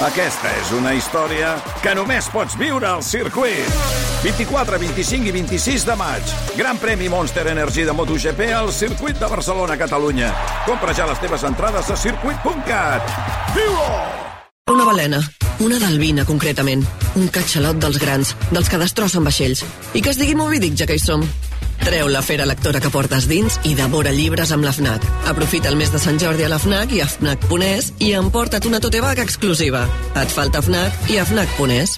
Aquesta és una història que només pots viure al circuit. 24, 25 i 26 de maig. Gran premi Monster Energy de MotoGP al circuit de Barcelona, Catalunya. Compra ja les teves entrades a circuit.cat. Viu-ho! Una balena, una d'albina concretament, un catxalot dels grans, dels que destrossen vaixells. I que es digui Moby Dick, ja que hi som. Treu la fera lectora que portes dins i devora llibres amb la FNAC. Aprofita el mes de Sant Jordi a la FNAC i a FNAC.es i emporta't una tote bag exclusiva. Et falta FNAC i a FNAC.es.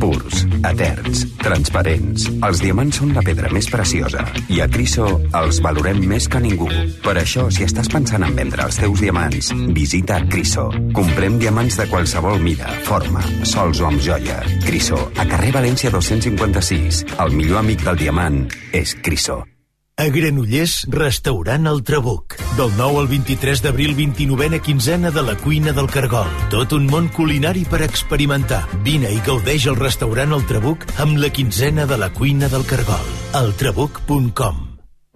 Purs, eterns, transparents. Els diamants són la pedra més preciosa i a Criso els valorem més que ningú. Per això, si estàs pensant en vendre els teus diamants, visita Criso. Comprem diamants de qualsevol mida, forma, sols o amb joia. Criso, a carrer València 256. El millor amic del diamant és Criso. A Granollers, restaurant El Trabuc. Del 9 al 23 d'abril, 29a quinzena de la cuina del Cargol. Tot un món culinari per experimentar. Vine i gaudeix al restaurant El Trabuc amb la quinzena de la cuina del Cargol. eltrabuc.com.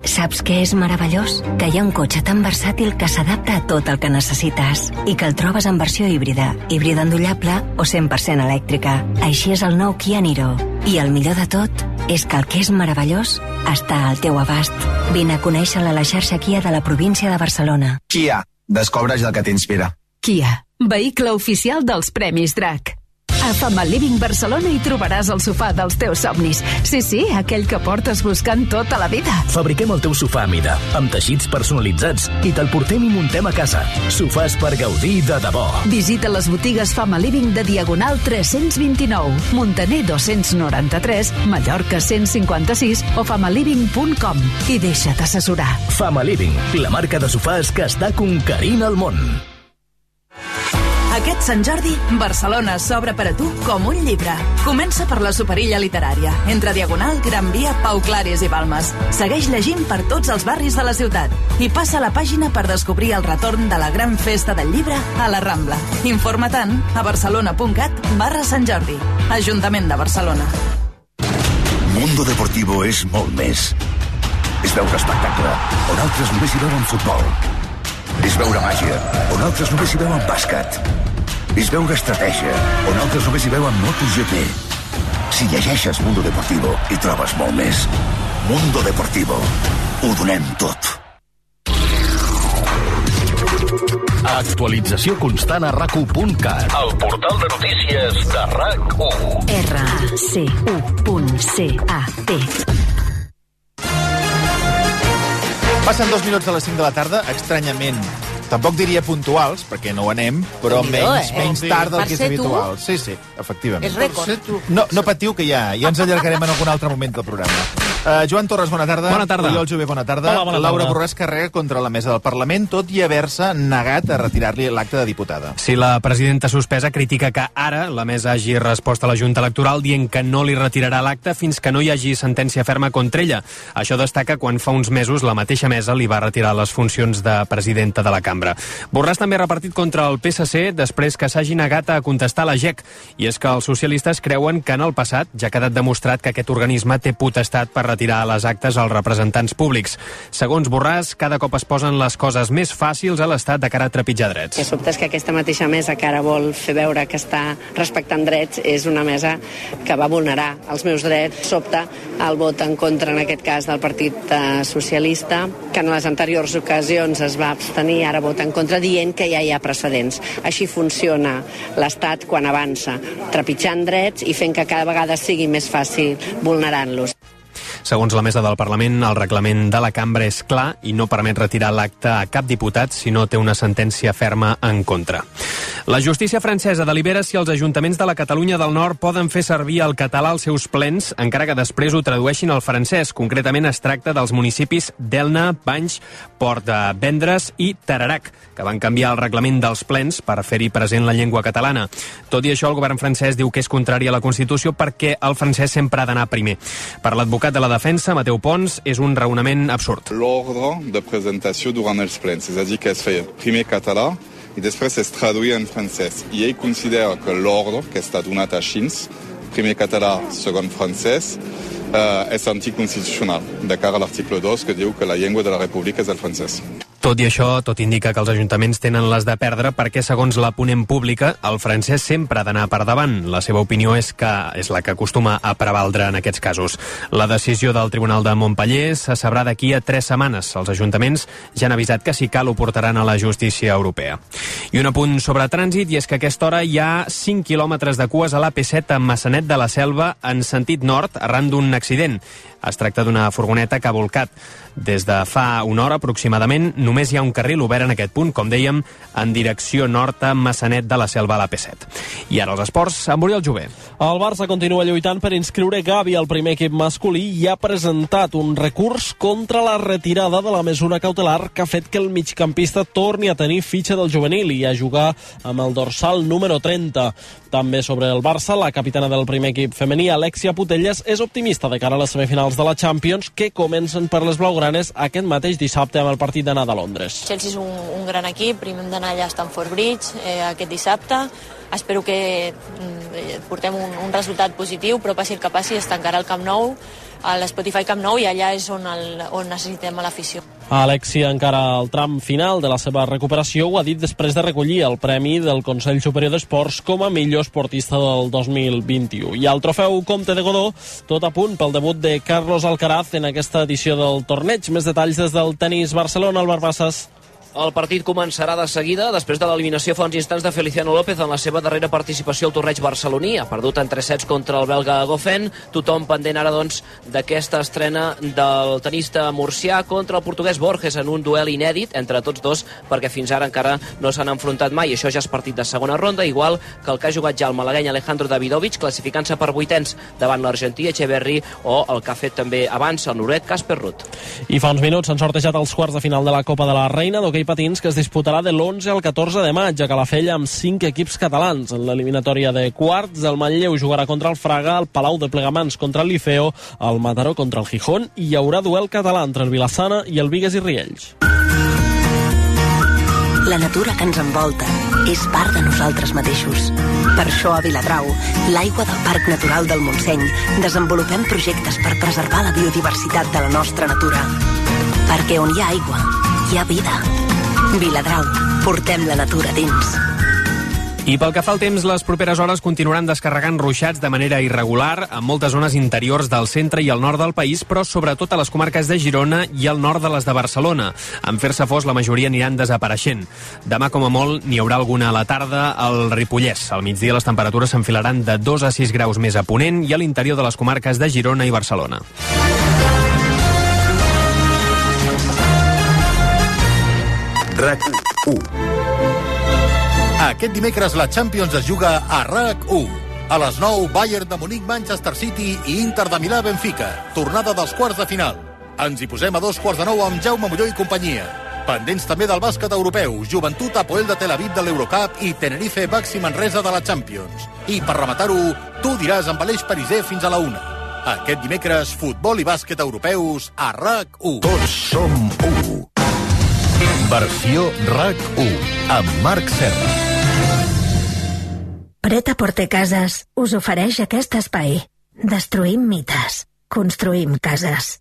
Saps què és meravellós? Que hi ha un cotxe tan versàtil que s'adapta a tot el que necessites i que el trobes en versió híbrida endollable o 100% elèctrica. Així és el nou Kia Niro. I el millor de tot és que el que és meravellós està al teu abast. Vine a conèixer-la a la xarxa Kia de la província de Barcelona. Kia, descobreix el que t'inspira. Kia, vehicle oficial dels Premis Drac. A Fama Living Barcelona hi trobaràs el sofà dels teus somnis. Sí, aquell que portes buscant tota la vida. Fabriquem el teu sofà a mida, amb teixits personalitzats, i te'l portem i muntem a casa. Sofàs per gaudir de debò. Visita les botigues Fama Living de Diagonal 329, Montaner 293, Mallorca 156 o famaliving.com i deixa't assessorar. Fama Living, la marca de sofàs que està conquerint el món. Aquest Sant Jordi, Barcelona s'obre per a tu com un llibre. Comença per la Superilla Literària, entre Diagonal, Gran Via, Pau Claris i Balmes. Segueix llegint per tots els barris de la ciutat i passa la pàgina per descobrir el retorn de la gran festa del llibre a la Rambla. Informa-te'n a barcelona.cat/Sant Jordi. Ajuntament de Barcelona. Mundo Deportivo és molt més. És veure espectacle, on altres només hi veuen futbol. És veure màgia, on altres només hi veuen bàsquet. És veure estratègia, on altres només hi veuen MotoGP. Si llegeixes Mundo Deportivo, hi trobes molt més. Mundo Deportivo. Ho donem tot. Actualització constant a RAC1.cat. El portal de notícies de RAC1. RAC1.cat. Passen 2 minuts de les 5 de la tarda, estranyament. Tampoc diria puntuals, perquè no ho anem, però menys tard del que és habitual. Sí, efectivament. És rècord. No patiu, que ja ens allargarem en algun altre moment del programa. Joan Torres, bona tarda. Bona tarda. Oriol Jové, bona tarda. Hola, bona tarda. Laura Borràs carrega contra la mesa del Parlament, tot i haver-se negat a retirar-li l'acte de diputada. Si la presidenta suspesa critica que ara la mesa hagi respost a la Junta Electoral dient que no li retirarà l'acte fins que no hi hagi sentència ferma contra ella. Això destaca quan fa uns mesos la mateixa mesa li va retirar les funcions de presidenta de la cambra. Borràs també ha repartit contra el PSC després que s'hagi negat a contestar la GEC. I és que els socialistes creuen que en el passat ja ha quedat demostrat que aquest organisme té potestat per retirar les actes als representants públics. Segons Borràs, cada cop es posen les coses més fàcils a l'Estat de cara a trepitjar drets. El que sobta és que aquesta mateixa mesa que ara vol fer veure que està respectant drets és una mesa que va vulnerar els meus drets. Sobta el vot en contra, en aquest cas, del Partit Socialista, que en les anteriors ocasions es va abstenir, ara vota en contra, dient que ja hi ha precedents. Així funciona l'Estat quan avança, trepitjant drets i fent que cada vegada sigui més fàcil vulnerant-los. Segons la mesa del Parlament, el reglament de la cambra és clar i no permet retirar l'acte a cap diputat si no té una sentència ferma en contra. La justícia francesa delibera si els ajuntaments de la Catalunya del Nord poden fer servir el català als seus plens, encara que després ho tradueixin al francès. Concretament es tracta dels municipis d'Elna, Banys, Port de Vendres i Tarerac, que van canviar el reglament dels plens per fer-hi present la llengua catalana. Tot i això, el govern francès diu que és contrari a la Constitució perquè el francès sempre ha d'anar primer. Per l'advocat de la defensa, Mateu Pons, és un raonament absurd. L'ordre de presentació durant els plens, és a dir, que es feia primer català i després es traduïa en francès. I ell considera que l'ordre que està donat així, primer català, segon francès, és anticonstitucional, de cara a l'article 2, que diu que la llengua de la República és el francès. Tot i això, tot indica que els ajuntaments tenen les de perdre perquè, segons la ponent pública, el francès sempre ha d'anar per davant. La seva opinió és la que acostuma a prevaldre en aquests casos. La decisió del Tribunal de Montpellier se sabrà d'aquí a 3 setmanes. Els ajuntaments ja han avisat que si cal ho portaran a la justícia europea. I un apunt sobre trànsit, i és que a aquesta hora hi ha 5 quilòmetres de cues a l'AP7 a Maçanet de la Selva en sentit nord arran d'un accident. Es tracta d'una furgoneta que ha volcat. Des de fa una hora aproximadament només hi ha un carril obert en aquest punt, com dèiem, en direcció nord a Maçanet de la Selva a l'AP7. I ara els esports, amb Oriol Jové. El Barça continua lluitant per inscriure Gavi al primer equip masculí i ha presentat un recurs contra la retirada de la mesura cautelar que ha fet que el migcampista torni a tenir fitxa del juvenil i a jugar amb el dorsal número 30. També sobre el Barça, la capitana del primer equip femení, Alexia Putellas, és optimista de cara a les semifinals de la Champions, que comencen per les blaugranes aquest mateix dissabte amb el partit d'anada a Londres. Chelsea és un gran equip, primer hem d'anar allà a Stamford Bridge aquest dissabte. Espero que portem un resultat positiu, però passi el que passi, es tancarà el Camp Nou, a l'Spotify Camp Nou, i allà és on necessitem a l'afició. Alexia, encara al tram final de la seva recuperació, ho ha dit després de recollir el premi del Consell Superior d'Esports com a millor esportista del 2021. I al trofeu Comte de Godó, tot a punt pel debut de Carlos Alcaraz en aquesta edició del torneig. Més detalls des del Tenis Barcelona, Albert Bassas. El partit començarà de seguida després de l'eliminació fa uns instants de Feliciano López en la seva darrera participació al torneig barceloní. Ha perdut en 3 sets contra el belga Goffin. Tothom pendent ara, doncs, d'aquesta estrena del tenista murcià contra el portuguès Borges en un duel inèdit entre tots dos, perquè fins ara encara no s'han enfrontat mai. Això ja és partit de segona ronda, igual que el que ha jugat ja el malagueny Alejandro Davidovich, classificant-se per 8ens davant l'argentí Echeverry, o el que ha fet també abans el noruec Casper Ruud. I fa uns minuts s'han sortejat els quarts de final de la Copa de la Reina d'hoquei patins, que es disputarà de l'11 al 14 de maig a Calafell amb 5 equips catalans. En l'eliminatòria de quarts, el Manlleu jugarà contra el Fraga, el Palau de Plegamans contra el Liceo, el Mataró contra el Gijón, i hi haurà duel català entre el Vilassana i el Bigues i Riells. La natura que ens envolta és part de nosaltres mateixos. Per això a Viladrau, l'aigua del Parc Natural del Montseny, desenvolupem projectes per preservar la biodiversitat de la nostra natura. Perquè on hi ha aigua, hi ha vida. Viladrau, portem la natura dins. I pel que fa al temps, les properes hores continuaran descarregant ruixats de manera irregular en moltes zones interiors del centre i el nord del país, però sobretot a les comarques de Girona i al nord de les de Barcelona. En fer-se fos, la majoria aniran desapareixent. Demà, com a molt, n'hi haurà alguna a la tarda al Ripollès. Al migdia les temperatures s'enfilaran de 2 a 6 graus més a ponent i a l'interior de les comarques de Girona i Barcelona. RAC1. Aquest dimecres la Champions es juga a RAC1. A les 9, Bayern de Munic, Manchester City i Inter de Milà, Benfica. Tornada dels quarts de final. Ens hi posem a 8:45 amb Jaume Molló i companyia. Pendents també del bàsquet europeu, Joventut Apoel de Tel Aviv de l'Eurocup i Tenerife Baxi Manresa de la Champions. I per rematar-ho, tu diràs amb Aleix Pariser fins a la 1. Aquest dimecres, futbol i bàsquet europeus a RAC1. Tots som 1. Versió RAC1 amb Marc Serra. Pret-a-Porter Cases us ofereix aquest espai. Destruïm mites. Construïm cases.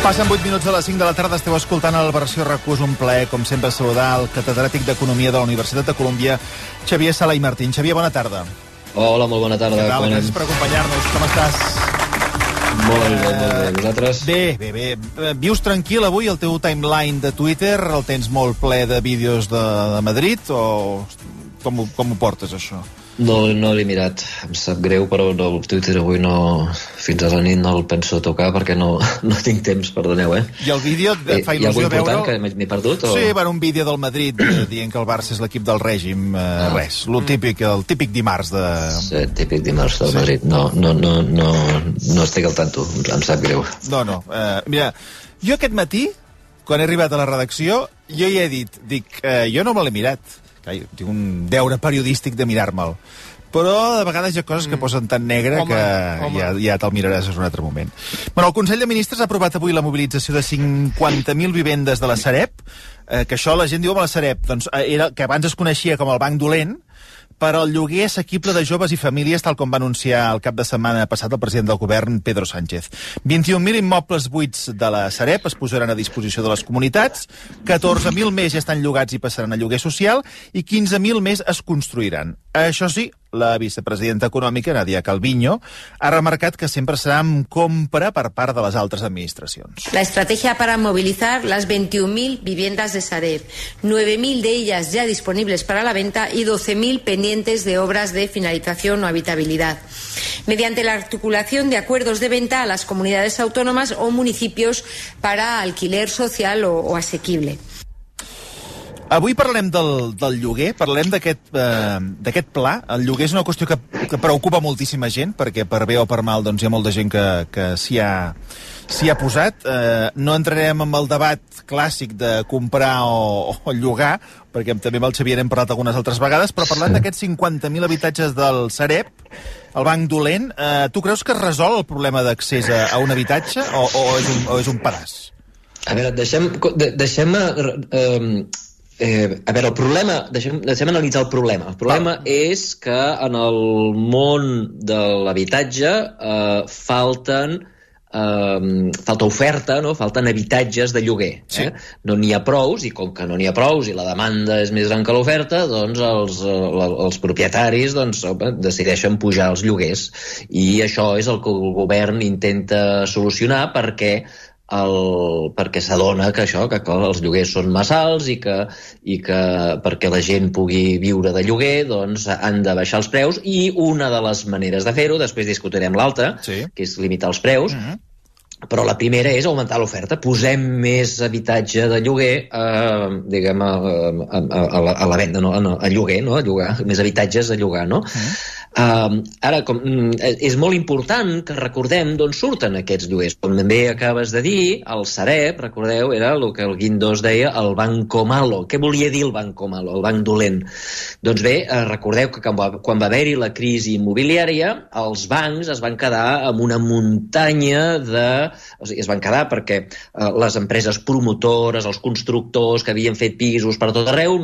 Passen 8 minuts de les 5 de la tarda, esteu escoltant el Versió RAC1. És un plaer, com sempre, saludar el catedràtic d'Economia de la Universitat de Colúmbia, Xavier Sala i Martín. Xavier, bona tarda. Hola, molt bona tarda. Què tal? Gràcies per acompanyar-nos. Com estàs? Molt bé. Vosaltres? Bé. Vius tranquil avui? El teu timeline de Twitter el tens molt ple de vídeos de Madrid o com ho portes, això? No l'he mirat, em sap greu, però el Twitter avui fins a la nit no el penso tocar perquè no tinc temps, perdoneu, I el vídeo et fa il·lusió veure... Hi ha algú important que m'he perdut? O... Sí, un vídeo del Madrid dient que el Barça és l'equip del règim, res, el típic dimarts de... Sí, típic dimarts del Madrid, no estic al tanto, em sap greu. No, mira, jo aquest matí, quan he arribat a la redacció, jo hi he dit, jo no me l'he mirat. tinc un deure periodístic de mirar-me'l. Però de vegades hi ha coses que posen tan negre que ja te'l miraràs en un altre moment. Bueno, el Consell de Ministres ha aprovat avui la mobilització de 50.000 vivendes de la Sareb, que això la gent diu, la Sareb, doncs, que abans es coneixia com el Banc Dolent, per al lloguer assequible de joves i famílies, tal com va anunciar el cap de setmana passat el president del govern, Pedro Sánchez. 21.000 immobles buits de la Sareb es posaran a disposició de les comunitats, 14.000 més ja estan llogats i passaran a lloguer social, i 15.000 més es construiran. Això sí, la vicepresidenta econòmica, Nadia Calviño, ha remarcat que sempre serà amb compra per part de les altres administracions. La estrategia para movilizar las 21.000 viviendas de Sareb, 9.000 de ellas ya disponibles para la venta y 12.000 pendientes de obras de finalización o habitabilidad, mediante la articulación de acuerdos de venta a las comunidades autónomas o municipios para alquiler social o asequible. Avui parlarem del lloguer, parlarem d'aquest pla. El lloguer és una qüestió que preocupa moltíssima gent, perquè per bé o per mal doncs, hi ha molta gent que s'hi ha posat. No entrarem en el debat clàssic de comprar o llogar, perquè també amb el Xavier hem parlat algunes altres vegades, però parlant d'aquests 50.000 habitatges del Sareb, el Banc Dolent, tu creus que es resol el problema d'accés a un habitatge o és un pedaç? A veure, deixem el problema, deixem analitzar el problema. El problema és que en el món de l'habitatge falta oferta, no? Falten habitatges de lloguer. Sí. No n'hi ha prous, i com que no n'hi ha prous i la demanda és més gran que l'oferta, doncs els propietaris decideixen pujar els lloguers. I això és el que el govern intenta solucionar perquè s'adona que els lloguers són massa alts i que perquè la gent pugui viure de lloguer doncs han de baixar els preus, i una de les maneres de fer-ho, després discutirem l'altra, que és limitar els preus, però la primera és augmentar l'oferta. Posem més habitatge de lloguer a la venda, a lloguer, no? A llogar, més habitatges a llogar, no? Ara, és molt important que recordem d'on surten aquests lloguers. Com també acabes de dir, el Sareb, recordeu, era el que el Guindos deia el Banco Malo. Què volia dir el Banco Malo, el banc dolent? Doncs bé, recordeu que quan va haver-hi la crisi immobiliària, els bancs es van quedar amb una muntanya es van quedar perquè les empreses promotores, els constructors que havien fet pisos per tot arreu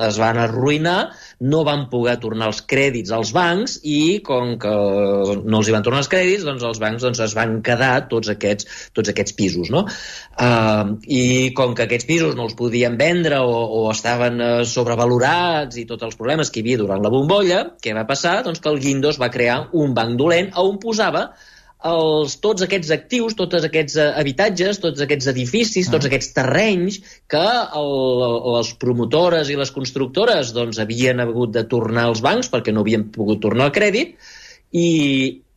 es van arruïnar, no van poder tornar els crèdits als bancs, i com que no els hi van tornar els crèdits, doncs els bancs es van quedar tots aquests pisos, no? I com que aquests pisos no els podien vendre o estaven sobrevalorats i tots els problemes que hi havia durant la bombolla, què va passar? Doncs que el Guindos va crear un banc dolent on posava tots aquests actius, tots aquests habitatges, tots aquests edificis, tots aquests terrenys que les promotores i les constructores doncs, havien hagut de tornar als bancs perquè no havien pogut tornar el crèdit,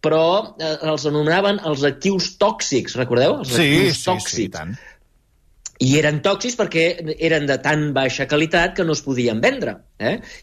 però els anomenaven els actius tòxics, recordeu? Els actius tòxics. Sí, i tant. I eren tòxics perquè eren de tan baixa qualitat que no es podien vendre.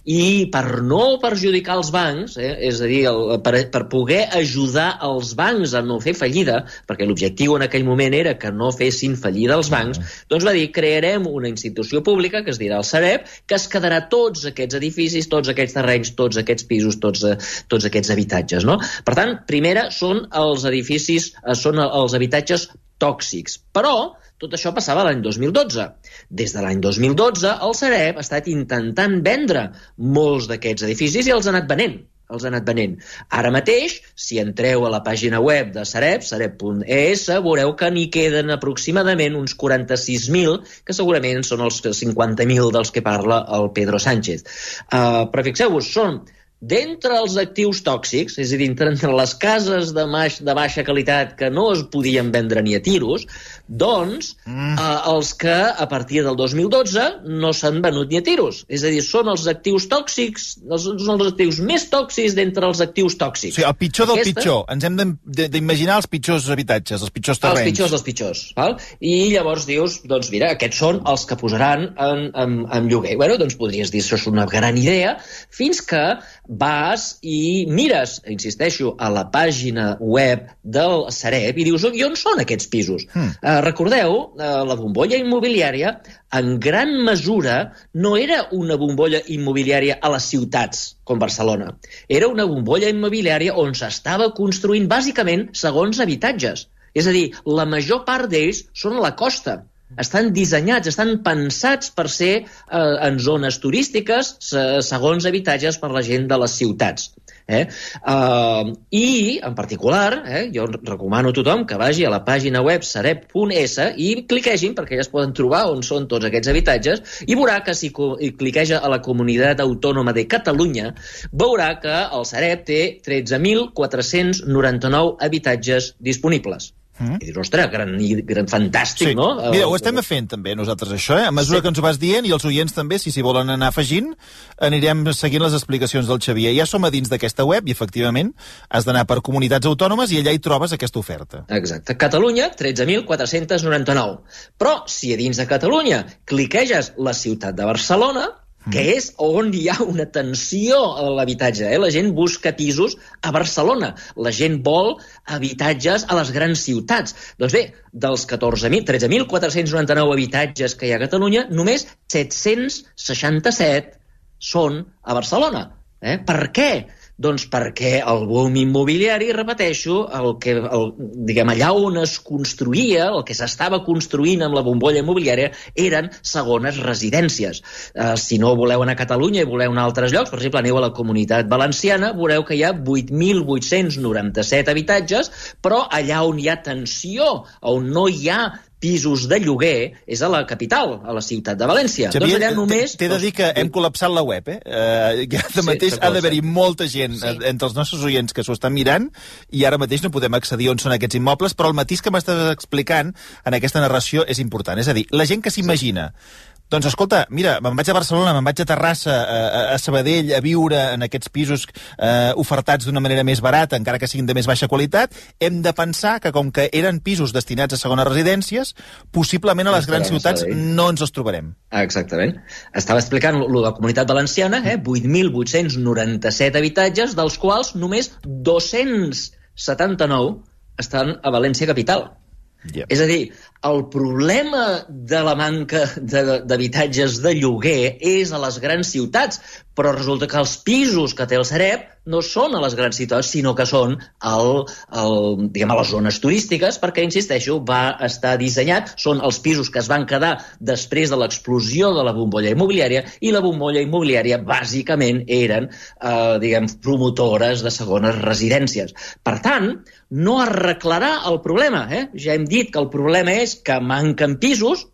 I per no perjudicar els bancs, és a dir, per poder ajudar els bancs a no fer fallida, perquè l'objectiu en aquell moment era que no fessin fallida els bancs, doncs va dir, crearem una institució pública, que es dirà el Sareb, que es quedarà tots aquests edificis, tots aquests terrenys, tots aquests pisos, tots aquests habitatges, no? Per tant, primera són els edificis, són els habitatges tòxics. Però tot això passava l'any 2012. Des de l'any 2012, el Sareb ha estat intentant vendre molts d'aquests edificis i els ha anat venent. Ara mateix, si entreu a la pàgina web de Sareb, sareb.es, veureu que n'hi queden aproximadament uns 46.000, que segurament són els 50.000 dels que parla el Pedro Sánchez. Però fixeu-vos, són d'entre els actius tòxics, és a dir, entre les cases de baixa qualitat que no es podien vendre ni a tiros, doncs els que a partir del 2012 no s'han venut ni a tiros. És a dir, són els actius tòxics, són els actius més tòxics d'entre els actius tòxics. O sigui, el pitjor del pitjor. Ens hem d'imaginar els pitjors habitatges, els pitjors terrenys. Els pitjors dels pitjors. Val? I llavors dius, doncs mira, aquests són els que posaran en lloguer. Bueno, doncs podries dir, això és una gran idea, fins que vas i mires, insisteixo, a la pàgina web del Sareb i dius, i on són aquests pisos? Recordeu, la bombolla immobiliària en gran mesura no era una bombolla immobiliària a les ciutats, com Barcelona. Era una bombolla immobiliària on s'estava construint bàsicament segons habitatges. És a dir, la major part d'ells són a la costa. Estan dissenyats, estan pensats per ser en zones turístiques segons habitatges per la gent de les ciutats. I, en particular, jo recomano a tothom que vagi a la pàgina web sareb.es i cliquegin, perquè ja es poden trobar on són tots aquests habitatges, i veurà que si cliqueja a la Comunitat Autònoma de Catalunya, veurà que el Sareb té 13.499 habitatges disponibles. I dius, ostres, gran fantàstic, no? Mira, ho estem fent també nosaltres, això, a mesura que ens ho vas dient, i els oients també, si s'hi volen anar afegint, anirem seguint les explicacions del Xavier. Ja som a dins d'aquesta web i, efectivament, has d'anar per comunitats autònomes i allà hi trobes aquesta oferta. Exacte. Catalunya, 13.499. Però, si a dins de Catalunya cliqueges la ciutat de Barcelona, que és on hi ha una tensió a l'habitatge. La gent busca pisos a Barcelona. La gent vol habitatges a les grans ciutats. Doncs bé, dels 13.499 habitatges que hi ha a Catalunya, només 767 són a Barcelona. Per què? Doncs perquè el boom immobiliari, repeteixo, allà on es construïa, el que s'estava construint amb la bombolla immobiliària, eren segones residències. Si no voleu anar a Catalunya i voleu anar a altres llocs, per exemple, aneu a la Comunitat Valenciana, veureu que hi ha 8.897 habitatges, però allà on hi ha tensió, on no hi ha pisos de lloguer, és a la capital, a la ciutat de València. Xavier, doncs allà només... T'he de dir que hem col·lapsat la web, Ara mateix ha d'haver-hi molta gent entre els nostres oients que s'ho estan mirant i ara mateix no podem accedir on són aquests immobles, però el matís que m'estàs explicant en aquesta narració és important. És a dir, la gent que s'imagina doncs escolta, mira, me'n vaig a Barcelona, me'n vaig a Terrassa, a Sabadell, a viure en aquests pisos ofertats d'una manera més barata, encara que siguin de més baixa qualitat, hem de pensar que com que eren pisos destinats a segones residències, possiblement a les grans ciutats no ens els trobarem. Exactament. Estava explicant lo de la Comunitat Valenciana, 8.897 habitatges, dels quals només 279 estan a València capital. És a dir, el problema de la manca d'habitatges de lloguer és a les grans ciutats, però resulta que els pisos que té el Sareb no són a les grans ciutats, sinó que són a les zones turístiques, perquè, insisteixo, va estar dissenyat, són els pisos que es van quedar després de l'explosió de la bombolla immobiliària, i la bombolla immobiliària bàsicament eren, promotores de segones residències. Per tant, no arreglarà el problema. Ja hem dit que el problema és que manquen pisos,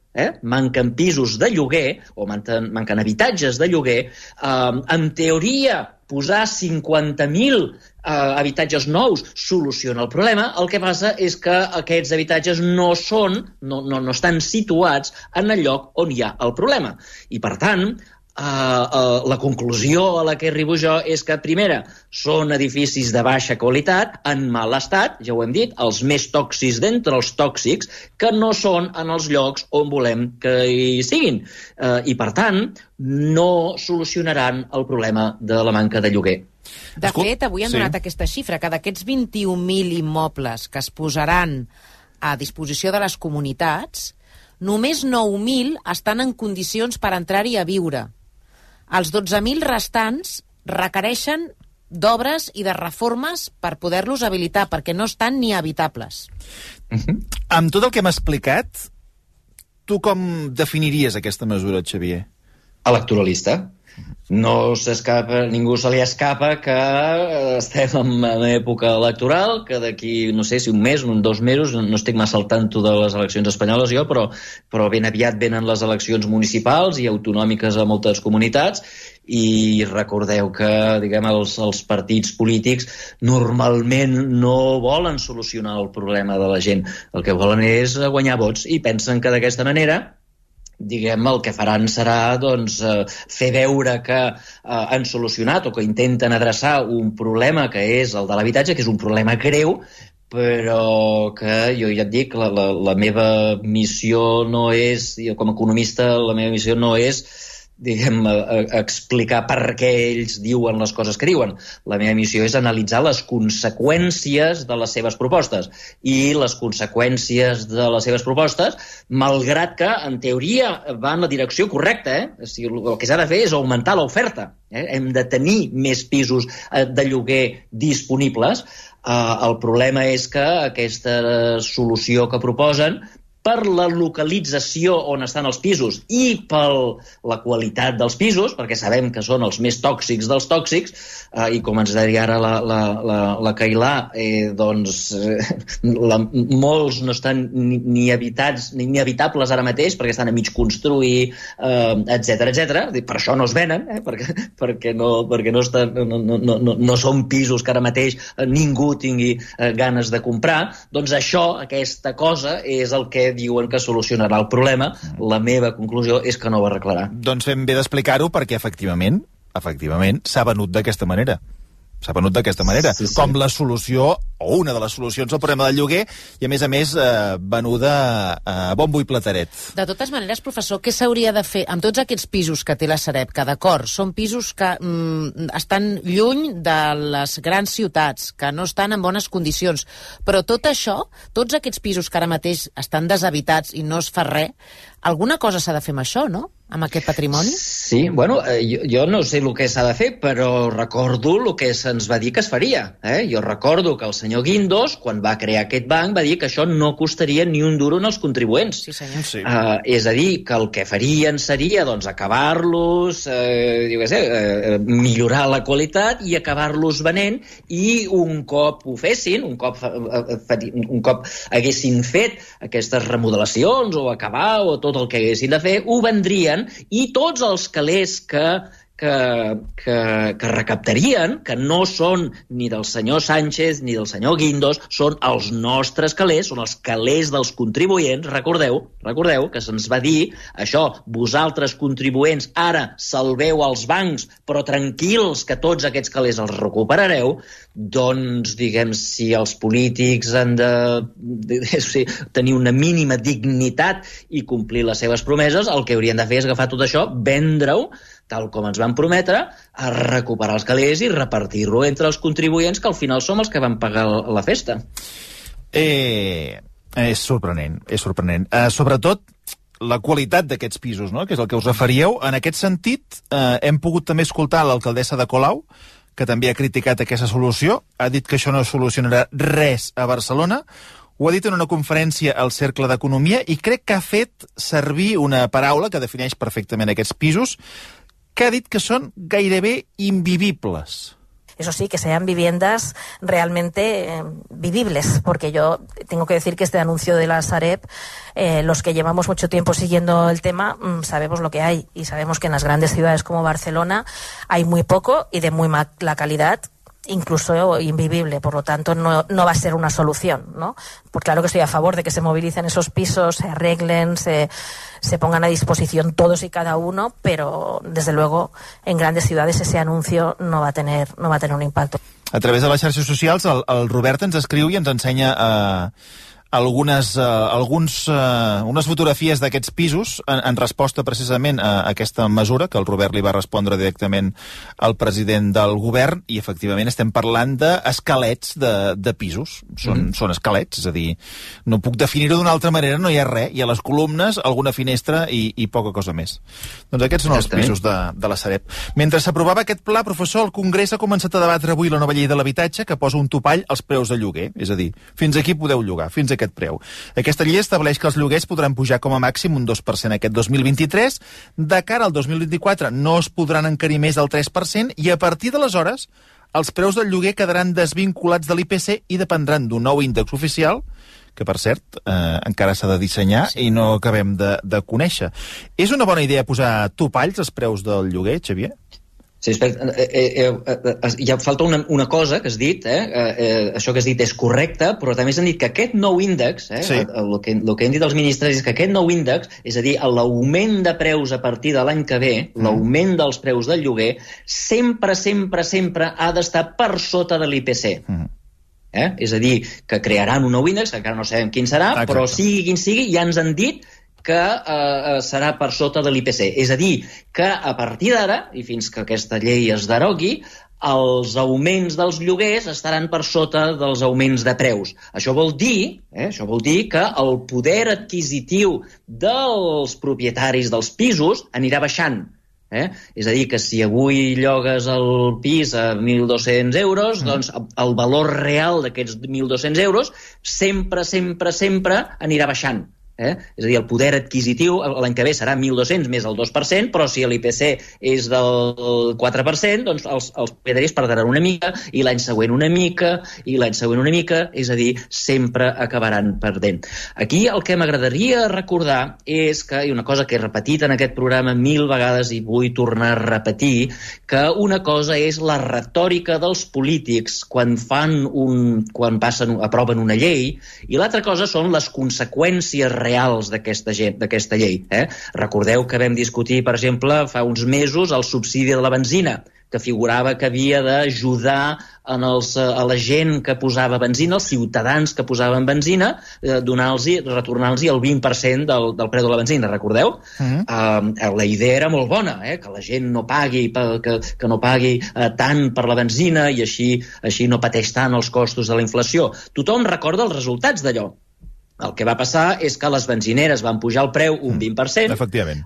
manquen pisos de lloguer, o manquen habitatges de lloguer. En teoria, posar 50.000 habitatges nous soluciona el problema. El que passa és que aquests habitatges no estan situats en el lloc on hi ha el problema. I, per tant, la conclusió a la que arribo jo és que, primera, són edificis de baixa qualitat, en mal estat, ja ho hem dit, els més tòxics d'entre els tòxics, que no són en els llocs on volem que hi siguin. I, per tant, no solucionaran el problema de la manca de lloguer. De fet, avui han donat aquesta xifra, que d'aquests 21.000 immobles que es posaran a disposició de les comunitats, només 9.000 estan en condicions per entrar-hi a viure. Els 12.000 restants requereixen d'obres i de reformes per poder-los habilitar, perquè no estan ni habitables. Amb tot el que hem explicat, tu com definiries aquesta mesura, Xavier? Electoralista. No s'escapa, ningú se li escapa que estem en època electoral, que d'aquí, no sé si un mes, 2 mesos, no estic massa al tanto de les eleccions espanyoles jo, però ben aviat venen les eleccions municipals i autonòmiques a moltes comunitats, i recordeu que, els partits polítics normalment no volen solucionar el problema de la gent. El que volen és guanyar vots, i pensen que d'aquesta manera el que faran serà fer veure que han solucionat o que intenten adreçar un problema que és el de l'habitatge, que és un problema greu, però que jo ja et dic, la meva missió no és, com a economista, la meva missió no és explicar per què ells diuen les coses que diuen. La meva missió és analitzar les conseqüències de les seves propostes. I les conseqüències de les seves propostes, malgrat que, en teoria, va en la direcció correcta, O sigui, el que s'ha de fer és augmentar l'oferta. Hem de tenir més pisos de lloguer disponibles. El problema és que aquesta solució que proposen, per la localització on estan els pisos i per la qualitat dels pisos, perquè sabem que són els més tòxics dels tòxics, i com ens deia ara la Cailà, molts no estan ni habitats ni habitables ara mateix perquè estan a mig construir, etc. Per això no es venen, perquè no són pisos que ara mateix ningú tingui ganes de comprar. Doncs això, aquesta cosa, és el que diuen que solucionarà el problema. La meva conclusió és que no ho arreglarà. Doncs fem bé d'explicar-ho perquè efectivament s'ha venut d'aquesta manera. Sí. Com la solució, o una de les solucions al problema del lloguer, i a més venuda a bombo i plateret. De totes maneres, professor, què s'hauria de fer amb tots aquests pisos que té la Sareb? Que d'acord, són pisos que estan lluny de les grans ciutats, que no estan en bones condicions, però tot això, tots aquests pisos que ara mateix estan deshabitats i no es fa res, alguna cosa s'ha de fer amb això, no? Amb aquest patrimoni? Sí, bueno, jo no sé el que s'ha de fer, però recordo el que se'ns va dir que es faria. Jo recordo que el senyor Guindos, quan va crear aquest banc, va dir que això no costaria ni un duro als contribuents. Sí, senyor. Sí. És a dir, que el que farien seria acabar-los, millorar la qualitat i acabar-los venent, i un cop ho fessin, un cop haguessin fet aquestes remodelacions o acabar o tot el que haguessin de fer, ho vendrien, i tots els calés que recaptarien, que no són ni del senyor Sánchez ni del senyor Guindos, són els nostres calés, són els calés dels contribuents. Recordeu que se'ns va dir això: vosaltres contribuents ara salveu els bancs, però tranquils que tots aquests calés els recuperareu. Doncs, si els polítics han de tenir una mínima dignitat i complir les seves promeses, el que haurien de fer és agafar tot això, vendre-ho, tal com ens van prometre, a recuperar els calés i repartir-lo entre els contribuents, que al final som els que van pagar la festa. És sorprenent. Sobretot la qualitat d'aquests pisos, no?, que és el que us referíeu. En aquest sentit, hem pogut també escoltar l'alcaldessa de Colau, que també ha criticat aquesta solució. Ha dit que això no solucionarà res a Barcelona. Ho ha dit en una conferència al Cercle d'Economia i crec que ha fet servir una paraula que defineix perfectament aquests pisos, que ha dit que son gairebé invivibles. Eso sí, que sean viviendas realmente vivibles, porque yo tengo que decir que este anuncio de la Sareb, los que llevamos mucho tiempo siguiendo el tema, sabemos lo que hay, y sabemos que en las grandes ciudades como Barcelona hay muy poco y de muy mala calidad, incluso invivible, por lo tanto no va a ser una solución, ¿no? Porque claro que estoy a favor de que se movilicen esos pisos, se arreglen, se pongan a disposición todos y cada uno, pero desde luego en grandes ciudades ese anuncio no va a tener un impacto. A través de les xarxes socials el Robert ens escriu i ens ensenya unes fotografies d'aquests pisos en resposta precisament a aquesta mesura que el Robert li va respondre directament al president del govern, i efectivament estem parlant d'esquelets de pisos. Són esquelets, és a dir, no puc definir-ho d'una altra manera, no hi ha res, hi ha les columnes, alguna finestra i poca cosa més. Doncs aquests són els pisos de la Sareb. Mentre s'aprovava aquest pla, professor, el Congrés ha començat a debatre avui la nova llei de l'habitatge que posa un topall als preus de lloguer, és a dir, fins aquí podeu llogar, fins aquest preu. Aquesta llei estableix que els lloguers podran pujar com a màxim un 2% aquest 2023, de cara al 2024 no es podran encarir més del 3%, i a partir d'aleshores els preus del lloguer quedaran desvinculats de l'IPC i dependran d'un nou índex oficial que, per cert, encara s'ha de dissenyar i no acabem de conèixer. És una bona idea posar topalls als preus del lloguer, Xavier? Sí, ja falta una cosa que has dit, això que has dit és correcte, però també s'han dit que aquest nou índex, el que han dit els ministres és que aquest nou índex, és a dir, l'augment de preus a partir de l'any que ve, l'augment dels preus del lloguer, sempre ha d'estar per sota de l'IPC. És a dir, que crearan un nou índex, que encara no sabem quin serà, però sigui quin sigui, ja ens han dit que serà per sota de l'IPC. És a dir, que a partir d'ara, i fins que aquesta llei es derogui, els augments dels lloguers estaran per sota dels augments de preus. Això vol dir que el poder adquisitiu dels propietaris dels pisos anirà baixant. És a dir, que si avui llogues el pis a 1.200 euros, doncs el valor real d'aquests 1.200 euros sempre anirà baixant. És a dir, el poder adquisitiu l'any que ve serà 1.200 més el 2%, però si l'IPC és del 4%, doncs els propietaris perdran una mica, i l'any següent una mica, i l'any següent una mica, és a dir, sempre acabaran perdent. Aquí el que m'agradaria recordar és que, i una cosa que he repetit en aquest programa 1000 vegades i vull tornar a repetir, que una cosa és la retòrica dels polítics quan aproven una llei, i l'altra cosa són les conseqüències reals d'aquesta llei. Recordeu que vam discutir, per exemple, fa uns mesos el subsidi de la benzina, que figurava que havia d'ajudar a la gent que posava benzina, els ciutadans que posaven benzina, retornar-los el 20% del preu de la benzina, recordeu? La idea era molt bona, que la gent no pagui tant per la benzina i així no pateix tant els costos de la inflació. Tothom recorda els resultats d'allò. El que va passar és que les benzineres van pujar el preu un 20%. Efectivament.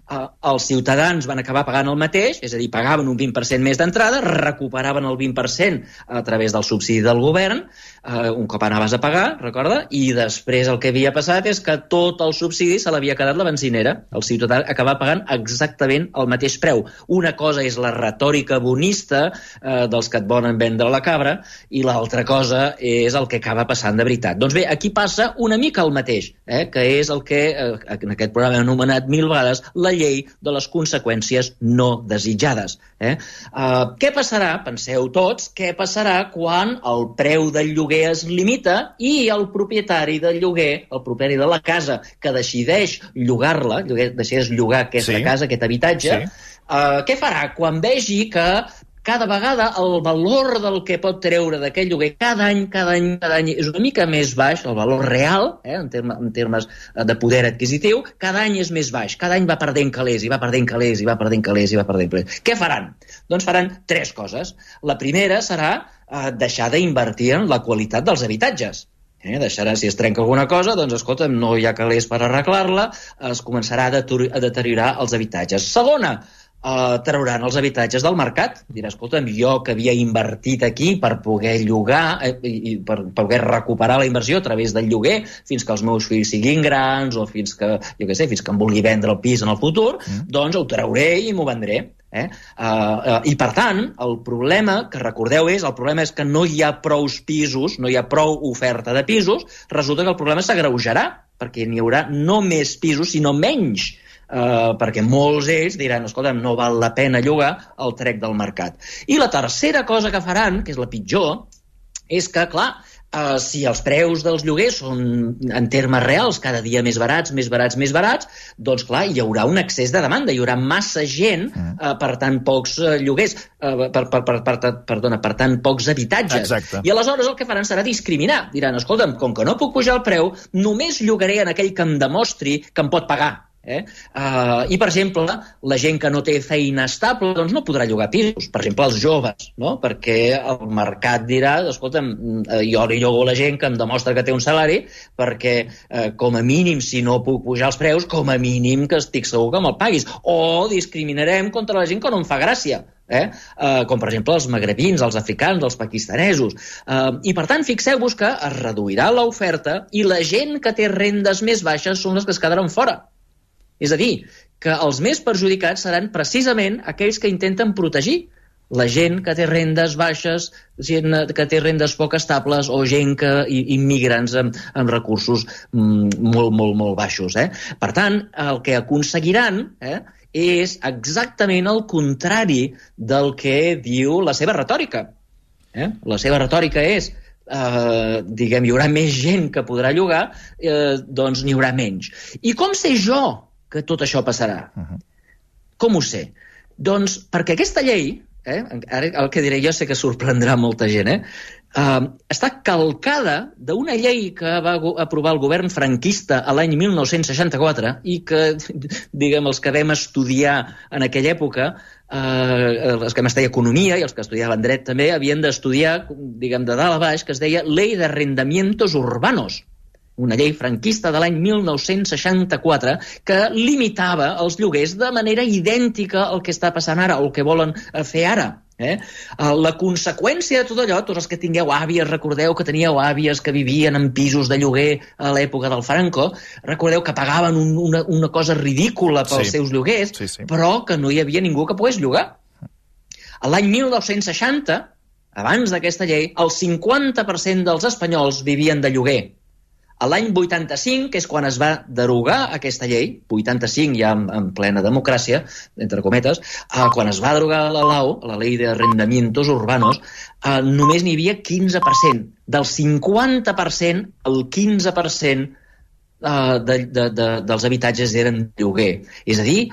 Els ciutadans van acabar pagant el mateix, és a dir, pagaven un 20% més d'entrada, recuperaven el 20% a través del subsidi del govern, un cop anaves a pagar, recorda? I després el que havia passat és que tot el subsidi se l'havia quedat la benzinera. El ciutadà acabava pagant exactament el mateix preu. Una cosa és la retòrica bonista dels que et volen vendre la cabra, i l'altra cosa és el que acaba passant de veritat. Doncs bé, aquí passa una mica el mateix, que és el que en aquest programa hem anomenat 1000 vegades la llei de les conseqüències no desitjades. Què passarà, penseu tots, què passarà quan el preu del lloguer es limita i el propietari del lloguer, el propietari de la casa que decideix llogar-la, decideix llogar aquesta casa, aquest habitatge, què farà quan vegi que cada vegada el valor del que pot treure d'aquest lloguer cada any és una mica més baix, el valor real, en termes de poder adquisitiu, cada any és més baix, cada any va perdent calés, i va perdent calés, i va perdent calés, i va perdent calés. Què faran? Doncs faran 3 coses. La primera serà deixar d'invertir en la qualitat dels habitatges. Deixarà, si es trenca alguna cosa, doncs, escolta, no hi ha calés per arreglar-la, es començarà a deteriorar els habitatges. Segona, trauran els habitatges del mercat. Dirà, escolta'm, jo que havia invertit aquí per poder llogar i per poder recuperar la inversió a través del lloguer fins que els meus fills siguin grans o fins que, fins que em vulgui vendre el pis en el futur, doncs ho trauré i m'ho vendré. I per tant, el problema que recordeu el problema és que no hi ha prous pisos, no hi ha prou oferta de pisos, resulta que el problema s'agreujarà, perquè n'hi haurà no més pisos, sinó menys, perquè molts d'ells diran, escolta'm, no val la pena llogar, el trec del mercat. I la tercera cosa que faran, que és la pitjor, és que, clar, si els preus dels lloguers són en termes reals cada dia més barats, doncs clar, hi haurà un excés de demanda, hi haurà massa gent per tant pocs lloguers, per tant pocs habitatges. Exacte. I aleshores el que faran serà discriminar. Diran, escolta'm, com que no puc pujar el preu, només llogaré en aquell que em demostri que em pot pagar. I, per exemple, la gent que no té feina estable doncs no podrà llogar pisos, per exemple els joves, no? Perquè el mercat dirà, escolta'm, jo li llogo a la gent que em demostra que té un salari, perquè com a mínim, si no puc pujar els preus, com a mínim que estic segur que me'l paguis, o discriminarem contra la gent que no em fa gràcia, com per exemple els magrebins, els africans, els pakistanesos, i per tant fixeu-vos que es reduirà l'oferta i la gent que té rendes més baixes són les que es quedaran fora. És a dir, que els més perjudicats seran precisament aquells que intenten protegir la gent que té rendes baixes, gent que té rendes poc estables o gent immigrants amb recursos molt baixos. Per tant, el que aconseguiran és exactament el contrari del que diu la seva retòrica. La seva retòrica és hi haurà més gent que podrà llogar, doncs n'hi haurà menys. I com sé jo que tot això passarà? Com ho sé? Doncs perquè aquesta llei ara el que diré jo sé que sorprendrà molta gent, està calcada d'una llei que va aprovar el govern franquista a l'any 1964 i que, diguem, els que vam estudiar en aquella època, els que vam estudiar economia i els que estudiaven dret també, havien d'estudiar, diguem, de dalt a baix, que es deia Ley de Arrendamientos Urbanos, una llei franquista de l'any 1964 que limitava els lloguers de manera idèntica al que està passant ara o el que volen fer ara. La conseqüència de tot allò, tots els que tingueu àvies, recordeu que teníeu àvies que vivien en pisos de lloguer a l'època del Franco, recordeu que pagaven una cosa ridícula pels seus lloguers, però que no hi havia ningú que pogués llogar. A l'any 1960, abans d'aquesta llei, el 50% dels espanyols vivien de lloguer. A l'any 85, que és quan es va derogar aquesta llei, 85 ja en plena democràcia, entre cometes, quan es va derogar la LAU, la Ley de Arrendamientos Urbanos, només n'hi havia 15%. Del 50%, el 15% dels habitatges eren lloguer. És a dir,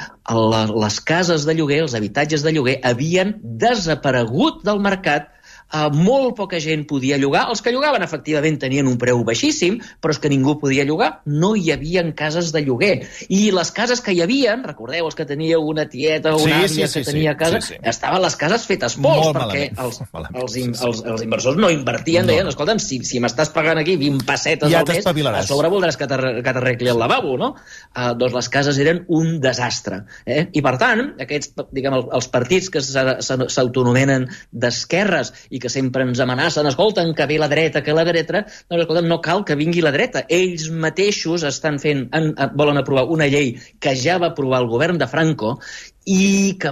les cases de lloguer, els habitatges de lloguer, havien desaparegut del mercat. Molt poca gent podia llogar. Els que llogaven, efectivament, tenien un preu baixíssim, però és que ningú podia llogar. No hi havia cases de lloguer. I les cases que hi havia, recordeu, els que teníeu una tieta o una àvia que tenia casa, estaven les cases fetes pols, perquè els inversors no invertien, deien, escolta'm, si m'estàs pagant aquí 20 pessetes al mes, a sobre voldràs que t'arregli el lavabo, no? Doncs les cases eren un desastre. I, per tant, aquests, diguem, els partits que s'autonomenen d'esquerres i que sempre ens amenacen, escolten, que ve la dreta, doncs, escolten, no cal que vingui la dreta. Ells mateixos volen aprovar una llei que ja va aprovar el govern de Franco i que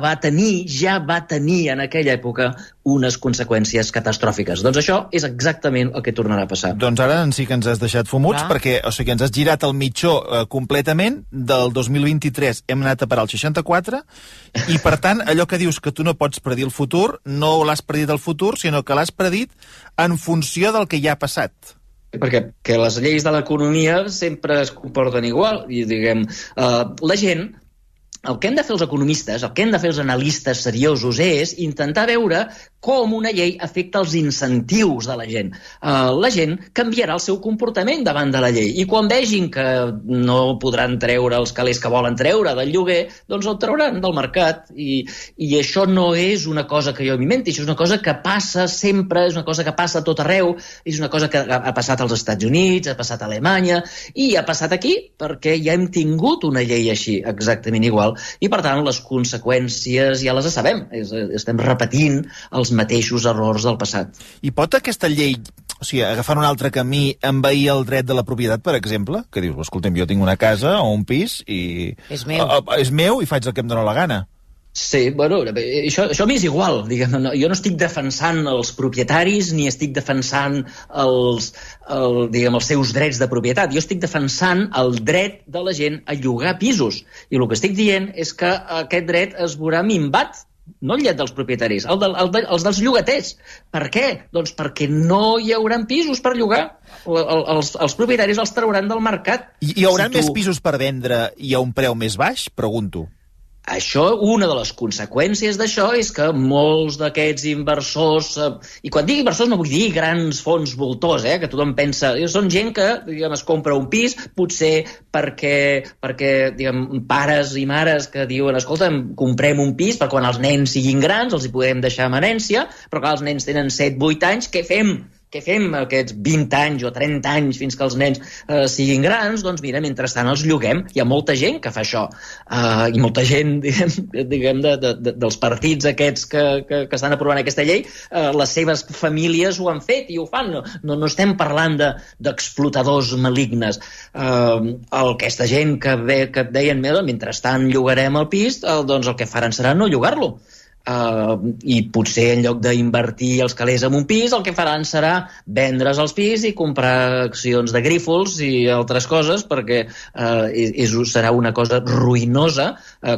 ja va tenir en aquella època unes conseqüències catastròfiques. Doncs això és exactament el que tornarà a passar. Doncs ara sí que ens has deixat fumuts, perquè ens has girat el mitjó completament. Del 2023 hem anat a parar al 64 i, per tant, allò que dius que tu no pots predir el futur, no l'has predit el futur, sinó que l'has predit en funció del que ja ha passat. Perquè les lleis de l'economia sempre es comporten igual. I, diguem, la gent... El que hem de fer els economistes, el que hem de fer els analistes seriosos és intentar veure com una llei afecta els incentius de la gent. La gent canviarà el seu comportament davant de la llei i quan vegin que no podran treure els calés que volen treure del lloguer, doncs el trauran del mercat. I això no és una cosa que jo m'inventi, això és una cosa que passa sempre, és una cosa que passa a tot arreu, és una cosa que ha passat als Estats Units, ha passat a Alemanya i ha passat aquí perquè ja hem tingut una llei així, exactament igual. I, per tant, les conseqüències ja les sabem. Estem repetint els mateixos errors del passat. I pot aquesta llei, o sigui, agafant un altre camí, envair el dret de la propietat, per exemple? Que dius, escolta'm, jo tinc una casa o un pis i... És meu. És meu i faig el que em dóna la gana. Sí, bueno, això m'és igual, diguem, jo no estic defensant els propietaris ni estic defensant els seus drets de propietat, jo estic defensant el dret de la gent a llogar pisos, i el que estic dient és que aquest dret es veurà minvat, no el dret dels propietaris, els dels llogaters. Per què? Doncs perquè no hi haurà pisos per llogar. Els propietaris els trauran del mercat. Hi haurà més pisos per vendre i a un preu més baix? Pregunto. Això, una de les conseqüències d'això és que molts d'aquests inversors, i quan dic inversors no vull dir grans fons voltors, que tothom pensa, són gent que, diguem, es compra un pis, potser perquè diguem, pares i mares que diuen, escolta'm, comprem un pis per quan els nens siguin grans, els hi podem deixar en herència, però clar, els nens tenen 7-8 anys, què fem? Què fem aquests 20 anys o 30 anys fins que els nens siguin grans? Doncs mira, mentrestant els lloguem. Hi ha molta gent que fa això. I molta gent, diguem dels partits aquests que estan aprovant aquesta llei, les seves famílies ho han fet i ho fan. No estem parlant d'explotadors malignes. Aquesta gent que deien, mentrestant llogarem el pis, doncs el que faran serà no llogar-lo. I potser en lloc d'invertir els calés en un pis, el que faran serà vendre's els pis i comprar accions de Grífols i altres coses, perquè serà una cosa ruïnosa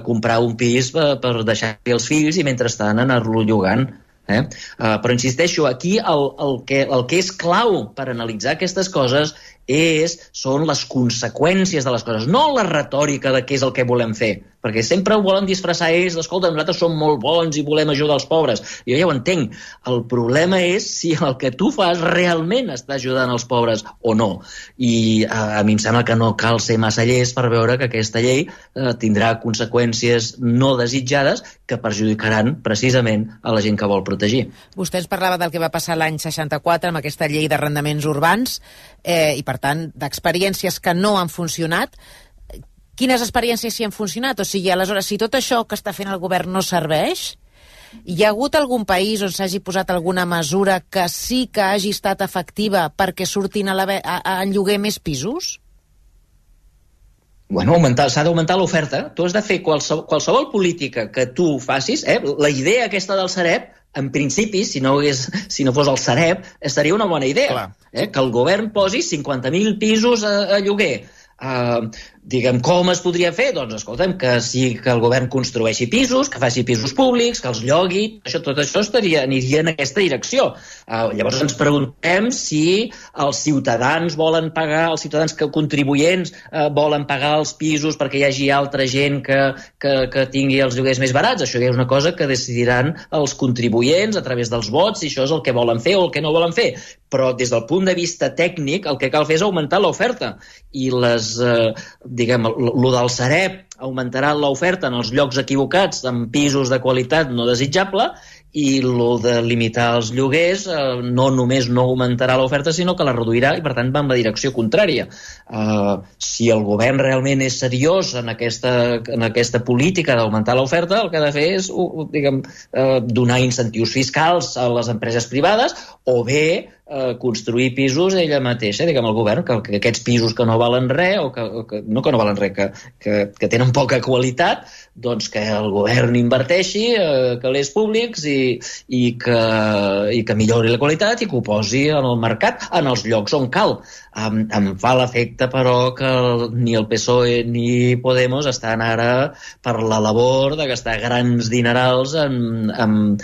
comprar un pis per deixar-hi els fills i mentrestant anar-lo llogant. Però insisteixo, aquí el que és clau per analitzar aquestes coses són les conseqüències de les coses, no la retòrica de què és el que volem fer, perquè sempre ho volen disfressar ells, escolta, nosaltres som molt bons i volem ajudar els pobres. Jo ja ho entenc. El problema és si el que tu fas realment està ajudant els pobres o no. I a mi em sembla que no cal ser massa llest per veure que aquesta llei tindrà conseqüències no desitjades que perjudicaran precisament a la gent que vol protegir. Vostè ens parlava del que va passar l'any 64 amb aquesta llei d'arrendaments urbans i, per tant, d'experiències que no han funcionat. Quines experiències sí han funcionat? O sigui, aleshores, si tot això que està fent el govern no serveix, hi ha hagut algun país on s'hagi posat alguna mesura que sí que hagi estat efectiva perquè surtin a lloguer més pisos? Bueno, s'ha d'augmentar l'oferta. Tu has de fer qualsevol política que tu facis. La idea aquesta del Sareb, en principi, si no fos el Sareb, estaria una bona idea. Que el govern posi 50.000 pisos a lloguer. Diguem, com es podria fer? Doncs escolta'm, que el govern construeixi pisos, que faci pisos públics, que els llogui, tot això aniria en aquesta direcció. Llavors ens preguntem si els ciutadans volen pagar, els ciutadans contribuents volen pagar els pisos perquè hi hagi altra gent que tingui els lloguers més barats. Això ja és una cosa que decidiran els contribuents a través dels vots, si això és el que volen fer o el que no volen fer. Però des del punt de vista tècnic el que cal fer és augmentar l'oferta. I lo del Sareb augmentarà l'oferta en els llocs equivocats, en pisos de qualitat no desitjable, i lo de limitar els lloguers no només no augmentarà l'oferta, sinó que la reduirà i, per tant, va en la direcció contrària. Si el govern realment és seriós en aquesta política d'augmentar l'oferta, el que ha de fer és donar incentius fiscals a les empreses privades o bé construir pisos ella mateixa, el govern, que aquests pisos que no valen res, no que no valen res, que tenen poca qualitat, doncs que el govern inverteixi calés públics i que millori la qualitat i que ho posi en el mercat, en els llocs on cal. Em fa l'efecte, però, que ni el PSOE ni Podemos estan ara per la labor de gastar grans dinerals en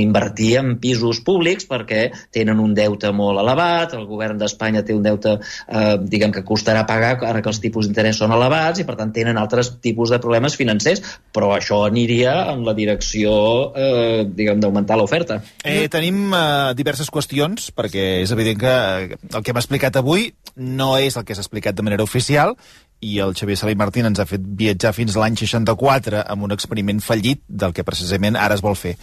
invertir en pisos públics perquè tenen un deute molt elevat, el govern d'Espanya té un deute que costarà pagar ara que els tipus d'interès són elevats i per tant tenen altres tipus de problemes financers, però això aniria en la direcció d'augmentar l'oferta. Tenim diverses qüestions, perquè és evident que el que hem explicat avui no és el que s'ha explicat de manera oficial i el Xavier Salai Martín ens ha fet viatjar fins a l'any 64 amb un experiment fallit del que precisament ara es vol fer.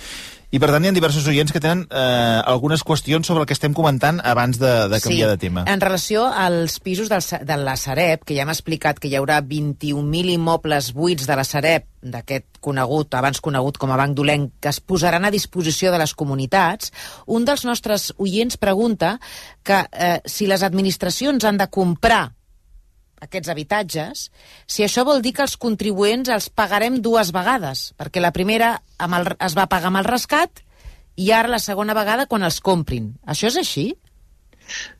I per tant hi ha diversos oients que tenen algunes qüestions sobre el que estem comentant abans de canviar de tema. En relació als pisos de la Sareb, que ja hem explicat que hi haurà 21.000 immobles buits de la Sareb, d'aquest abans conegut com a Banc Dolent, que es posaran a disposició de les comunitats, un dels nostres oients pregunta que si les administracions han de comprar aquests habitatges, si això vol dir que els contribuents els pagarem dues vegades, perquè la primera es va pagar amb el rescat i ara la segona vegada quan els comprin. Això és així?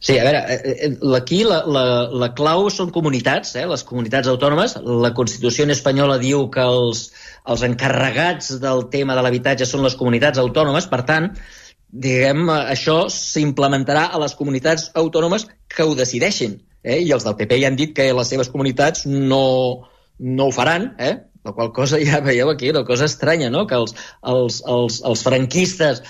Sí, a veure, aquí la clau són comunitats, les comunitats autònomes. La Constitució espanyola diu que els encarregats del tema de l'habitatge són les comunitats autònomes, per tant, això s'implementarà a les comunitats autònomes que ho decideixin. I els del PP ja han dit que les seves comunitats no ho faran, la qual cosa ja veieu aquí, una cosa estranya, no? Que els franquistes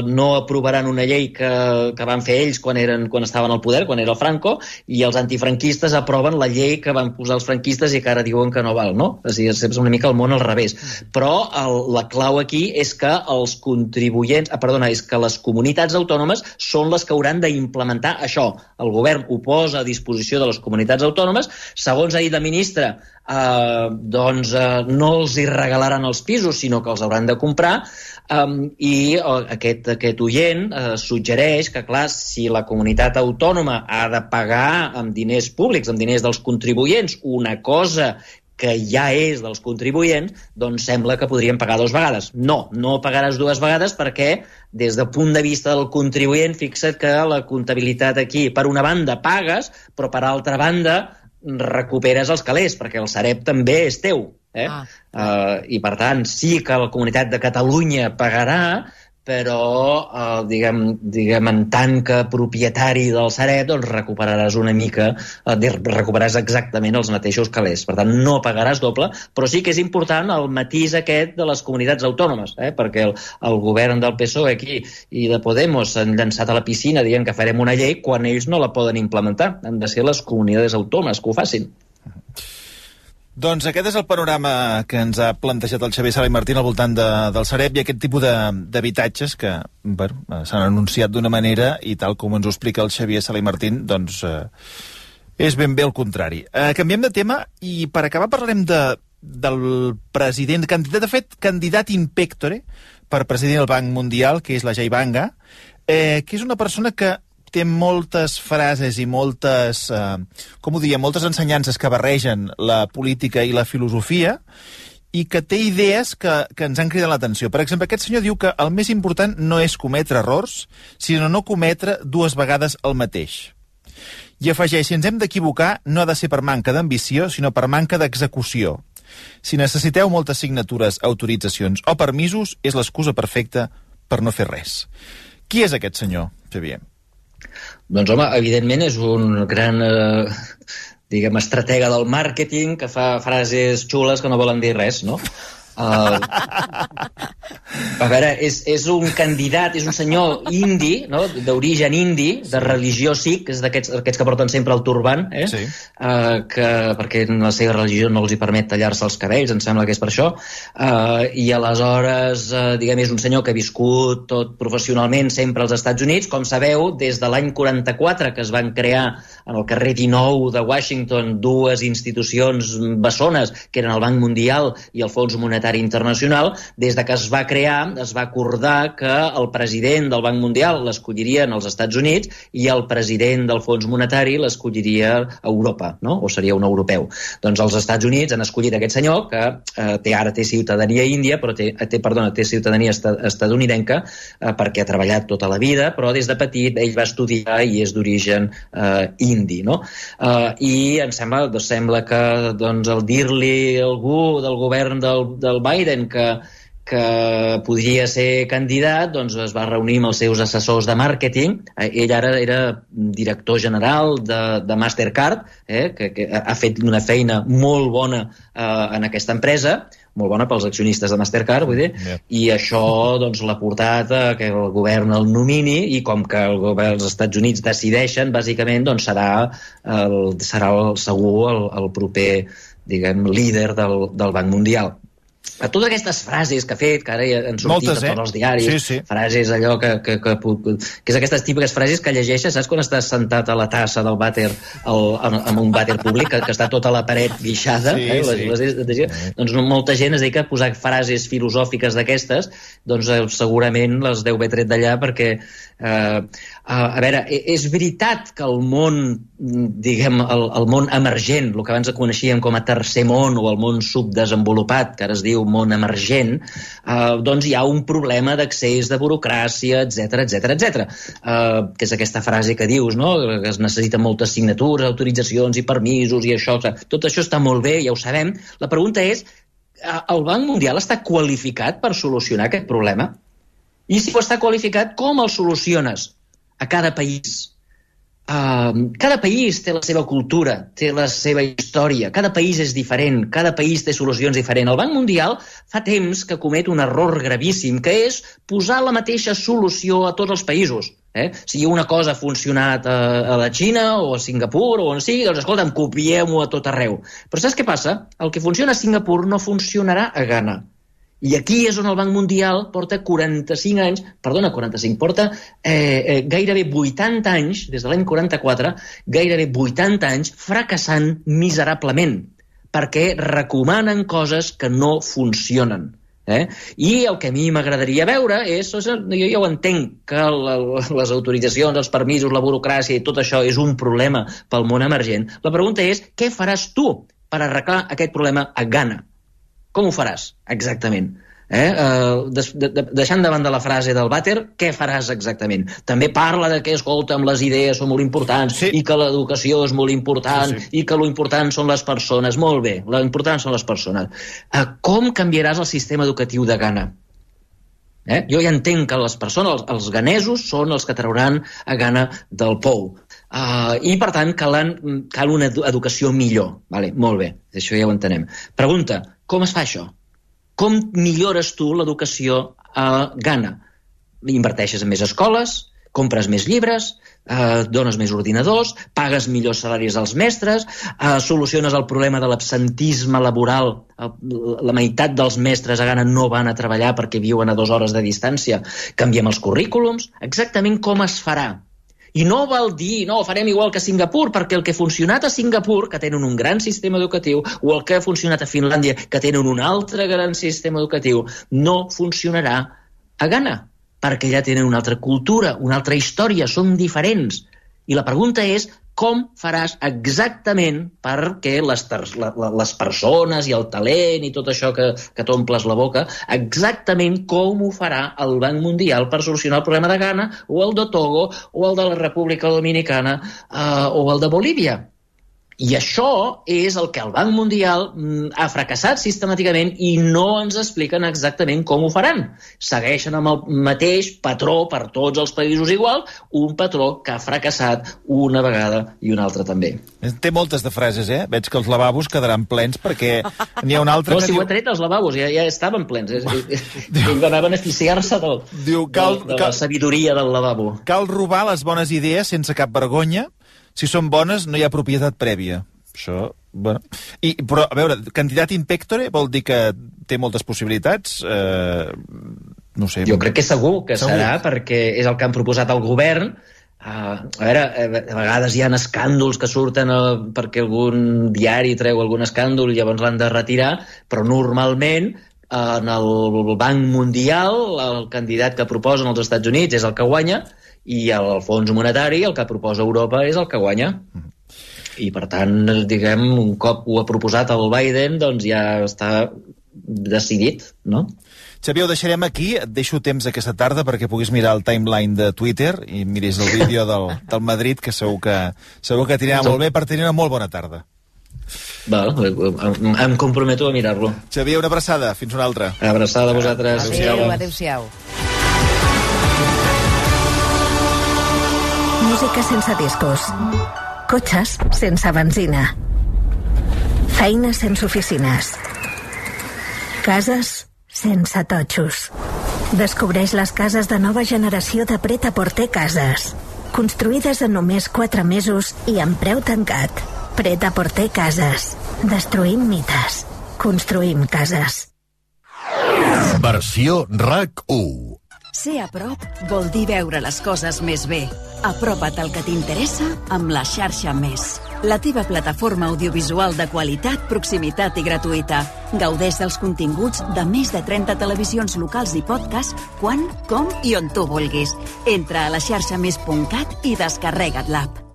no aprovaran una llei que van fer ells quan estaven al poder, quan era el Franco, i els antifranquistes aproven la llei que van posar els franquistes i que ara diuen que no val, no? És a dir, és una mica el món al revés. Però la clau aquí és que és que les comunitats autònomes són les que hauran d'implementar això. El govern ho posa a disposició de les comunitats autònomes. Segons ha dit la ministra, no els hi regalaran els pisos, sinó que els hauran de comprar, i aquest oient suggereix que, clar, si la comunitat autònoma ha de pagar amb diners públics, amb diners dels contribuents, una cosa que ja és dels contribuents, doncs sembla que podrien pagar dues vegades. No pagaràs dues vegades perquè, des del punt de vista del contribuent, fixa't que la comptabilitat aquí, per una banda, pagues, però per altra banda, recuperes els calés, perquè el Sareb també és teu. I per tant, sí que la Comunitat de Catalunya pagarà, però diguem en tant que propietari del Sareb, doncs recuperaràs una mica, recuperaràs exactament els mateixos calés. Per tant, no pagaràs doble, però sí que és important el matís aquest de les comunitats autònomes, perquè el govern del PSOE aquí i de Podemos s'han llançat a la piscina dient que farem una llei quan ells no la poden implementar. Han de ser les comunitats autònomes que ho facin. Doncs aquest és el panorama que ens ha plantejat el Xavier Sala i Martín al voltant del Sareb i aquest tipus d'habitatges que s'han anunciat d'una manera i tal com ens ho explica el Xavier Sala i Martín, doncs és ben bé el contrari. Canviem de tema i per acabar parlarem del president, de fet, candidat in pectore per president del Banc Mundial, que és la Jai Banga, que és una persona que té moltes frases i moltes, moltes ensenyances que barregen la política i la filosofia i que té idees que ens han cridat l'atenció. Per exemple, aquest senyor diu que el més important no és cometre errors, sinó no cometre dues vegades el mateix. I afegeix, si ens hem d'equivocar, no ha de ser per manca d'ambició, sinó per manca d'execució. Si necessiteu moltes signatures, autoritzacions o permisos, és l'excusa perfecta per no fer res. Qui és aquest senyor, Xavier? Doncs, home, evidentment és un gran, estratega del màrqueting que fa frases xules que no volen dir res, no? A veure, és un candidat, és un senyor indi, no? D'origen indi, de religió sikh, que és d'aquests que porten sempre el turban, sí. Perquè la seva religió no els hi permet tallar-se els cabells, em sembla que és per això, i aleshores, és un senyor que ha viscut tot professionalment sempre als Estats Units, com sabeu, des de l'any 44 que es van crear en el carrer 19 de Washington dues institucions bessones, que eren el Banc Mundial i el Fons Monetari Internacional. Des de que es va crear, es va acordar que el president del Banc Mundial l'escollirien als Estats Units i el president del Fons Monetari l'escolliria a Europa, no? O seria un europeu. Doncs els Estats Units han escollit aquest senyor que ara té ciutadania índia, però té ciutadania estatunidenca perquè ha treballat tota la vida, però des de petit ell va estudiar i és d'origen indi, no? I em sembla que el dir-li a algú del govern del Biden que podria ser candidat, doncs es va reunir amb els seus assessors de màrqueting. Ell ara era director general de Mastercard, que ha fet una feina molt bona en aquesta empresa, molt bona pels accionistes de Mastercard, vull dir, i això doncs l'ha portat a que el govern el nomini, i com que el govern dels Estats Units decideixen, bàsicament doncs serà segur el proper, líder del Banc Mundial. A totes aquestes frases que ha fet, que ara ja han sortit a tots els diaris, frases allò que és aquestes típiques frases que llegeixes, saps quan estàs sentat a la tassa del vàter en un vàter públic, que està tota la paret guixada, doncs molta gent es dedica a posar frases filosòfiques d'aquestes, doncs segurament les deu haver tret d'allà perquè a veure, és veritat que el món, el món emergent, el que abans coneixíem com a tercer món o el món subdesenvolupat, que ara es diu món emergent, doncs hi ha un problema d'accés, de burocràcia, etc. Que és aquesta frase que dius, no? Que es necessiten moltes signatures, autoritzacions i permisos i això. Tot això està molt bé, ja ho sabem. La pregunta és, el Banc Mundial està qualificat per solucionar aquest problema? I si ho està qualificat, com el soluciones a cada país? Cada país té la seva cultura, té la seva història, cada país és diferent, cada país té solucions diferents. El Banc Mundial fa temps que comet un error gravíssim, que és posar la mateixa solució a tots els països. Si una cosa ha funcionat a la Xina o a Singapur o on sigui, doncs escolta'm, copiem-ho a tot arreu. Però saps què passa? El que funciona a Singapur no funcionarà a Ghana. I aquí és on el Banc Mundial porta 45 anys, porta gairebé 80 anys, des de l'any 44, gairebé 80 anys fracassant miserablement, perquè recomanen coses que no funcionen. I el que a mi m'agradaria veure és, jo ja ho entenc, que les autoritzacions, els permisos, la burocràcia i tot això és un problema pel món emergent. La pregunta és, què faràs tu per arreglar aquest problema a Ghana? Com ho faràs, exactament? Deixant de banda la frase del vàter, què faràs exactament? També parla de que, escolta'm, les idees són molt importants i que l'educació és molt important i que l'important són les persones. Molt bé, l'important són les persones. Com canviaràs el sistema educatiu de Ghana? Jo ja entenc que les persones, els ganesos, són els que trauran a Ghana del pou. I, per tant, cal una educació millor. Vale, molt bé, això ja ho entenem. Pregunta, com es fa això? Com millores tu l'educació a Ghana? Inverteixes en més escoles, compres més llibres, dones més ordinadors, pagues millors salaris als mestres, soluciones el problema de l'absentisme laboral. La meitat dels mestres a Ghana no van a treballar perquè viuen a 2 hores de distància. Canviem els currículums. Exactament com es farà? I no vol dir, no, farem igual que a Singapur, perquè el que ha funcionat a Singapur, que tenen un gran sistema educatiu, o el que ha funcionat a Finlàndia, que tenen un altre gran sistema educatiu, no funcionarà a Ghana, perquè ja tenen una altra cultura, una altra història, són diferents. I la pregunta és, com faràs exactament perquè les persones i el talent i tot això que t'omples la boca, exactament com ho farà el Banc Mundial per solucionar el problema de Ghana, o el de Togo, o el de la República Dominicana, o el de Bolívia. I això és el que el Banc Mundial ha fracassat sistemàticament i no ens expliquen exactament com ho faran. Segueixen amb el mateix patró per tots els països igual, un patró que ha fracassat una vegada i una altra també. Té moltes de frases, eh? Veig que els lavabos quedaran plens perquè n'hi ha un altre no, que si diu... ho ha tret, els lavabos ja estaven plens. Ells van a beneficiar-se de la sabidoria del lavabo. Cal robar les bones idees sense cap vergonya. Si són bones, no hi ha propietat prèvia. Això, bueno... Però, a veure, candidat in pectore vol dir que té moltes possibilitats? No sé... Jo crec que segur que serà, perquè és el que han proposat al govern. A veure, a vegades hi ha escàndols que surten perquè algun diari treu algun escàndol i llavors l'han de retirar, però normalment en el Banc Mundial el candidat que proposen els Estats Units és el que guanya, i el Fons Monetari, el que proposa Europa, és el que guanya. I, per tant, diguem, un cop ho ha proposat el Biden, doncs ja està decidit, no? Xavier, ho deixarem aquí. Et deixo temps aquesta tarda perquè puguis mirar el timeline de Twitter i miris el vídeo del Madrid, que segur que t'anirà molt bé per tenir una molt bona tarda. Val, em comprometo a mirar-lo. Xavier, una abraçada. Fins una altra. Abraçada a vosaltres. Adéu-siau. Música sense discos. Cotxes sense benzina. Feines sense oficines. Cases sense totxos. Descobreix les cases de nova generació de Pret-a-Porter Cases. Construïdes en només 4 mesos i amb preu tancat. Pret-a-Porter Cases. Destruïm mites. Construïm cases. Versió RAC1. Ser a prop vol dir veure les coses més bé. Apropa't al que t'interessa amb la xarxa Més. La teva plataforma audiovisual de qualitat, proximitat i gratuïta. Gaudeix dels continguts de més de 30 televisions locals i podcast quan, com i on tu vulguis. Entra a laxarxamés.cat i descarrega't l'app.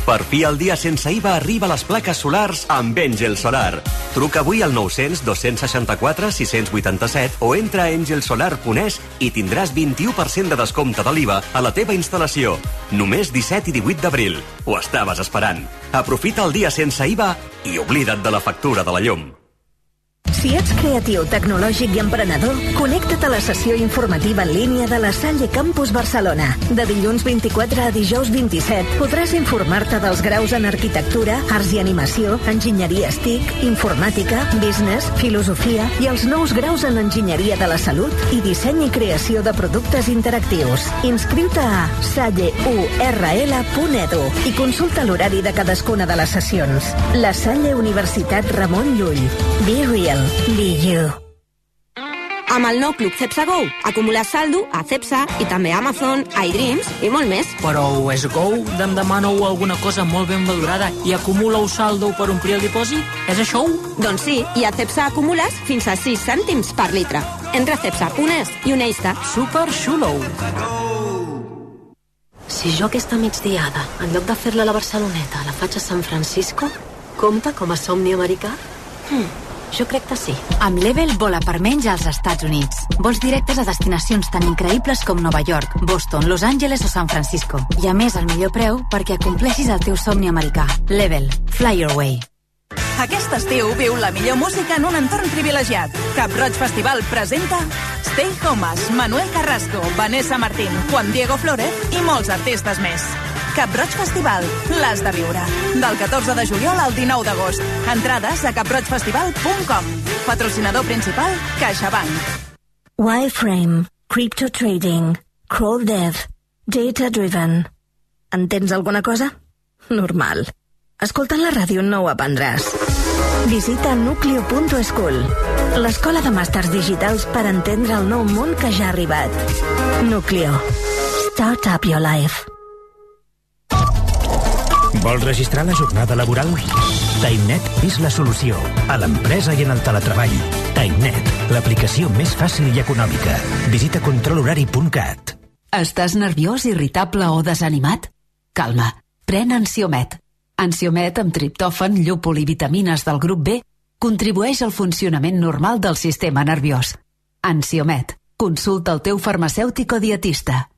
Per fi el dia sense IVA arriba a les plaques solars amb Engel Solar. Truca avui al 900-264-687 o entra a engelsolar.es i tindràs 21% de descompte de l'IVA a la teva instal·lació. Només 17 i 18 d'abril. Ho estaves esperant. Aprofita el dia sense IVA i oblida't de la factura de la llum. Si ets creatiu, tecnològic i emprenedor, connecta't a la sessió informativa en línia de la Salle Campus Barcelona. De dilluns 24 a dijous 27 podràs informar-te dels graus en arquitectura, arts i animació, enginyeria TIC, informàtica, business, filosofia i els nous graus en enginyeria de la salut i disseny i creació de productes interactius. Inscriu-te a salleurl.edu i consulta l'horari de cadascuna de les sessions. La Salle Universitat Ramon Llull. Be real. Be you. Amb el nou Club Cepsa Go, acumular saldo a Cepsa i també a Amazon, iDreams i molt més. Però és Go em demaneu alguna cosa molt ben valorada i acumuleu saldo per omplir el dipòsit? És això? Doncs sí, i a Cepsa acumules fins a 6 cèntims per litre. Entra a Cepsa.es i uneix-te. Super xulo! Si jo aquesta migdiada, en lloc de fer-la a la Barceloneta, la faig a San Francisco, compta com a somni americà? Jo crec que sí. Amb Level vola per menys als Estats Units. Vols directes a destinacions tan increïbles com Nova York, Boston, Los Angeles o San Francisco. I a més, al millor preu perquè acompleixis el teu somni americà. Level. Fly your way. Aquest estiu viu la millor música en un entorn privilegiat. Cap Roig Festival presenta Stay Homes, Manuel Carrasco, Vanessa Martín, Juan Diego Flórez i molts artistes més. Cap Roig Festival, l'has de viure. Del 14 de juliol al 19 d'agost. Entrades a caproigfestival.com. Patrocinador principal, CaixaBank. Wireframe, Crypto Trading, Crawl Dev, Data Driven. Entens alguna cosa? Normal. Escoltant la ràdio no ho aprendràs. Visita nucleo.school, l'escola de màsters digitals per entendre el nou món que ja ha arribat. Nucleo. Start up your life. Vols registrar la jornada laboral? TimeNet és la solució a l'empresa i en el teletreball. TimeNet, l'aplicació més fàcil i econòmica. Visita controlhorari.cat. Estàs nerviós, irritable o desanimat? Calma, pren Ansiomet. Ansiomet amb triptòfan, llúpol i vitamines del grup B contribueix al funcionament normal del sistema nerviós. Ansiomet. Consulta el teu farmacèutic o dietista.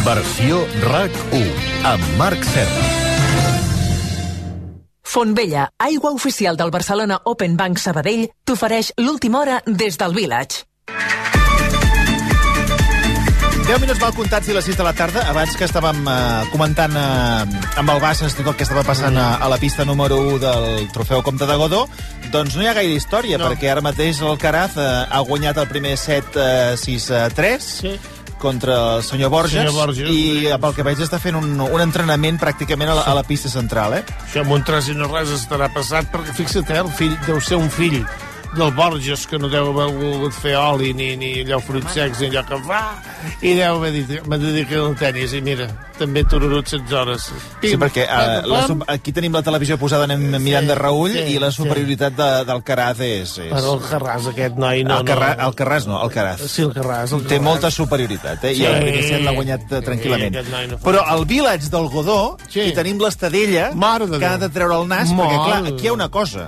Versió RAC1 amb Marc Serra. Fontvella, aigua oficial del Barcelona Open Bank Sabadell, t'ofereix l'última hora des del Village. 10 minuts mal comptats i les 6 de la tarda, abans que estàvem comentant amb el Bassas tot el que estava passant a la pista número 1 del trofeu Comte de Godó, doncs no hi ha gaire història, perquè ara mateix l'Alcaraz ha guanyat el primer set 6-3 contra el senyor Borges, i pel que veig està fent un entrenament pràcticament a la pista central. Això amb un 3-0 estarà passat, perquè fixa't, el fill deu ser un fill del Borges, que no deu haver volgut fer oli ni allò fruits secs ni allò que fa, i deu haver dit me dedico al tenis, i mira, també tururut 16 hores. Sí, perquè aquí tenim la televisió posada, anem mirant de reull, i la superioritat d'Alcaraz és... Però el Carràs, aquest noi, no... Alcaraz no, Alcaraz. Sí, el Carràs. Té molta superioritat, i el primer set l'ha guanyat tranquil·lament. Però al Village del Godó hi tenim l'Estadella, que ha de treure el nas, perquè clar, aquí hi ha una cosa.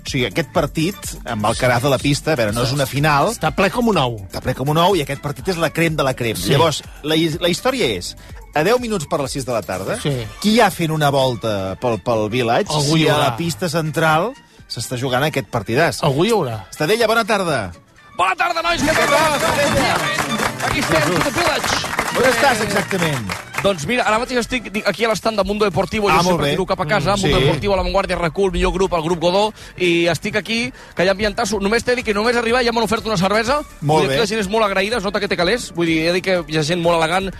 O sigui, aquest partit, amb Alcaraz a la pista, a veure, no és una final... Està ple com un ou. Està ple com un ou, i aquest partit és la crem de la crem. Sí. Llavors, la història és, a 10 minuts per les 6 de la tarda, qui hi ha fent una volta pel Village, si a la pista central s'està jugant aquest partidàs? Algú hi haurà. Estadella, bona tarda. Bona tarda, nois, què tal? Aquí estem, The Village. On estàs, exactament? Doncs mira, ara mateix estic aquí a l'estand de Mundo Deportivo, jo sempre tiro cap a casa, Mundo Deportivo, a La Vanguardia, RAC1, el millor grup, el grup Godó, i estic aquí, que hi ha ambientasso. Només t'he dit que només arribar ja m'han ofert una cervesa. Molt bé. La gent és molt agraïda, es nota que té calés. Vull dir, he dit que hi ha gent molt elegant,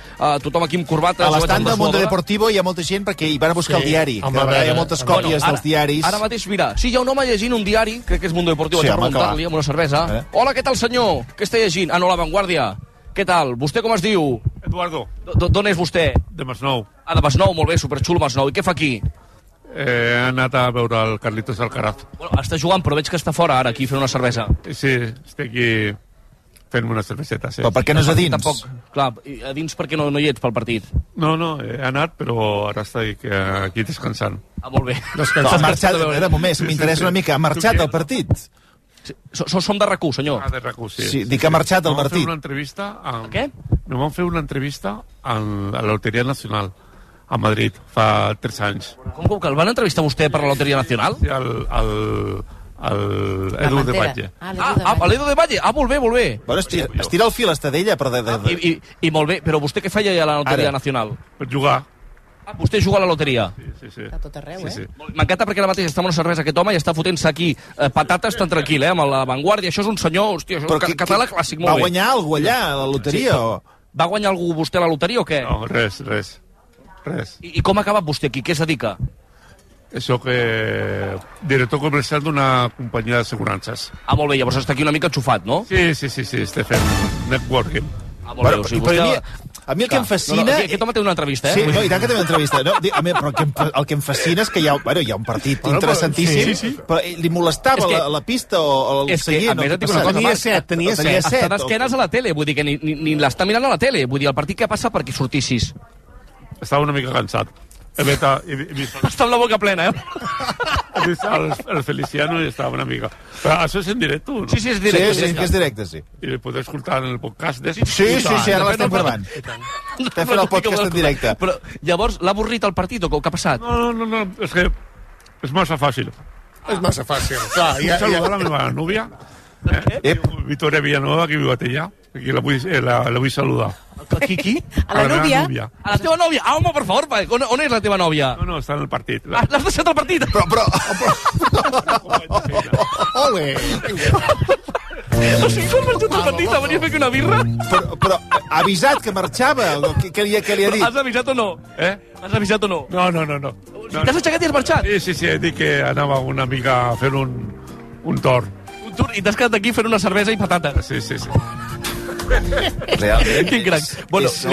tothom aquí amb corbata. A l'estand de Mundo Deportivo hi ha molta gent perquè hi van a buscar el diari. Hi ha moltes còpies dels diaris. Ara mateix, mira, sí, hi ha un home llegint un diari, crec que és Mundo Deportivo, vaig a preguntar-li amb una cervesa. Hola, què tal, senyor? Què està llegint? Ah, no, La Vanguardia. Què tal? Vostè com es diu? Eduardo. D'on és vostè? De Masnou. Ah, de Masnou, molt bé, superxulo Masnou. I què fa aquí? He anat a veure el Carlitos Alcaraz. Bueno, està jugant, però veig que està fora ara, aquí, fent una cervesa. Sí, estic aquí fent una cerveseta, sí. Però per què no és a dins? Tampoc, clar, a dins per què no hi ets pel partit? No, he anat, però ara estic aquí descansant. Ah, molt bé. Ha marxat, de moment, m'interessa una mica, ha marxat el partit? Som de RAC1, senyor. Ah, de RAC1, sí. Sí, dic que ha marxat el partit. Què? No van fer una entrevista a la Loteria Nacional a Madrid fa 3 anys. Com que el van entrevistar vostè per la Loteria Nacional? Sí, Edu de Valle. L'Edu de Valle? Ah, molt bé, molt bé. Bueno, estira el fil, Estadella, però... I molt bé, però vostè què feia a la Loteria Nacional? Per jugar. Ah, vostè juga a la loteria? Sí. Està tot arreu, sí. M'encanta perquè ara mateix està amb una cervesa aquest home i està fotent-se aquí patates tan tranquil, amb La Vanguardia. Això és un senyor, hòstia, això és català clàssic, molt bé. Va guanyar algú allà, a la loteria? Va guanyar algú vostè a la loteria o què? No, res. I com ha acabat vostè aquí? Què es dedica? Això que... director comercial d'una companyia d'assegurances. Ah, molt bé, llavors està aquí una mica enxufat, no? Sí, estic fent networking. Ah, molt bé, o sigui, vostè... A mi el que em fascina... Aquest home té una entrevista, Sí, no, i tant que té una entrevista. No? Però el que em fascina és que hi ha un partit interessantíssim, però li molestava la pista o el seient. A més, et dic una cosa, tenia set. Està d'esquenes a la tele, vull dir que ni l'està mirant a la tele. Vull dir, el partit què passa perquè sortissis? Estava una mica cansat. Està amb la boca plena, He vist el Feliciano i estava una mica... Però això és en directe, no? Sí, és directe. Sí, que és directe, sí. I el podeu escoltar en el podcast de... Sí, ara l'estem gravant. Estem fent el podcast en directe. Però llavors l'ha avorrit el partit o què ha passat? No, és que És massa fàcil. És massa fàcil, clar. Puc saludar la meva núvia? Victoria Villanueva, que viu a Tellà. Aquí la vull saludar. Qui? A la núvia? A la teva nòvia? Ah, home, per favor, on és la teva nòvia? No, està en el partit. L'has deixat al partit? Però... Ole! O sigui, quan marxat al partit, venia a fer una birra? Però ha avisat que marxava? Què li ha dit? Has avisat o no? Has avisat o no? No. T'has aixecat i has marxat? Sí, he dit que anava una mica a fer un torn. Un torn? I t'has quedat aquí fent una cervesa i patata? Sí. Realment. Quin crac. Bueno, És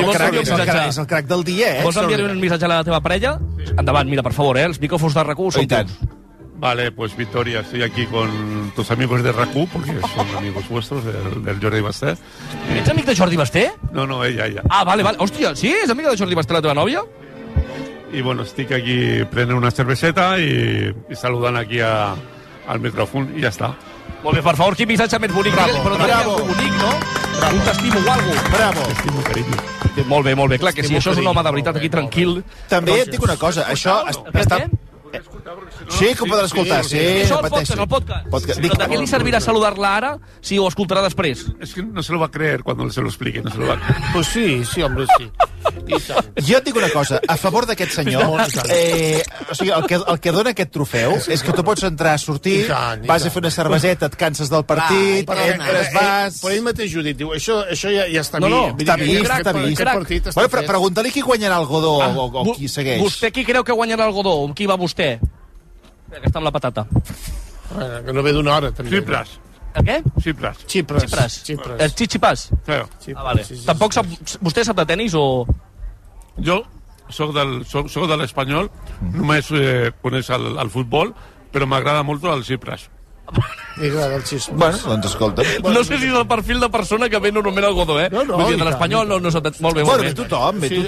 el crac del dia, Vols enviar un missatge a la teva parella? Endavant, mira, per favor, els micrófonos de RAC1 són teus. Vale, pues Victoria, estoy aquí con tus amigos de RAC1, porque son amigos vuestros, del Jordi Basté. ¿Ets amic de Jordi Basté? No, ella. Ah, vale. Hòstia, sí? És amiga de Jordi Basté la teva nòvia? Y bueno, estic aquí prenent una cerveseta y saludant aquí al micròfon i ja està. Molt bé, per favor, quin missatge més bonic. Bravo. Bonic, no? Bravo. Un t'estimo o alguna cosa. Bravo. T'estimo, carinyo. Molt bé, clar que sí. Això és un home de veritat aquí tranquil. També et dic una cosa, això està... Sí, que ho podrà escoltar, sí. Això el podcast. Però de què li servirà saludar-la ara si ho escoltarà després? Es que no se lo va a creer cuando se lo explique, no se lo va a creer. Pues sí, hombre, sí. Jo et dic una cosa, a favor d'aquest senyor, o sigui, el que dona aquest trofeu és que tu pots entrar, sortir, vas a fer una cerveseta, et canses del partit, entres, vas... Però ell mateix ho dit, diu, això ja està vist. No, està vist. Bueno, però pregunta-li qui guanyarà el Godó o qui segueix. Vostè qui creu que guanyarà el Godó? Amb qui va vostè? Que està amb la patata. Bueno, que no ve d'una hora, també. Xipres. El què? Xipres. El Chichipas? Sí. Ah, vale. Tampoc sap... Vostè sap de tenis o...? Jo soc de l'Espanyol, només coneix el futbol, però m'agrada molt el Xipres. M'agrada el Xipres. Bueno, doncs escolta. No sé si és el perfil de persona que ve normalment al Godó, No, vull dir, de l'Espanyol no sap... Molt bé. Bueno, ve tothom. Sí,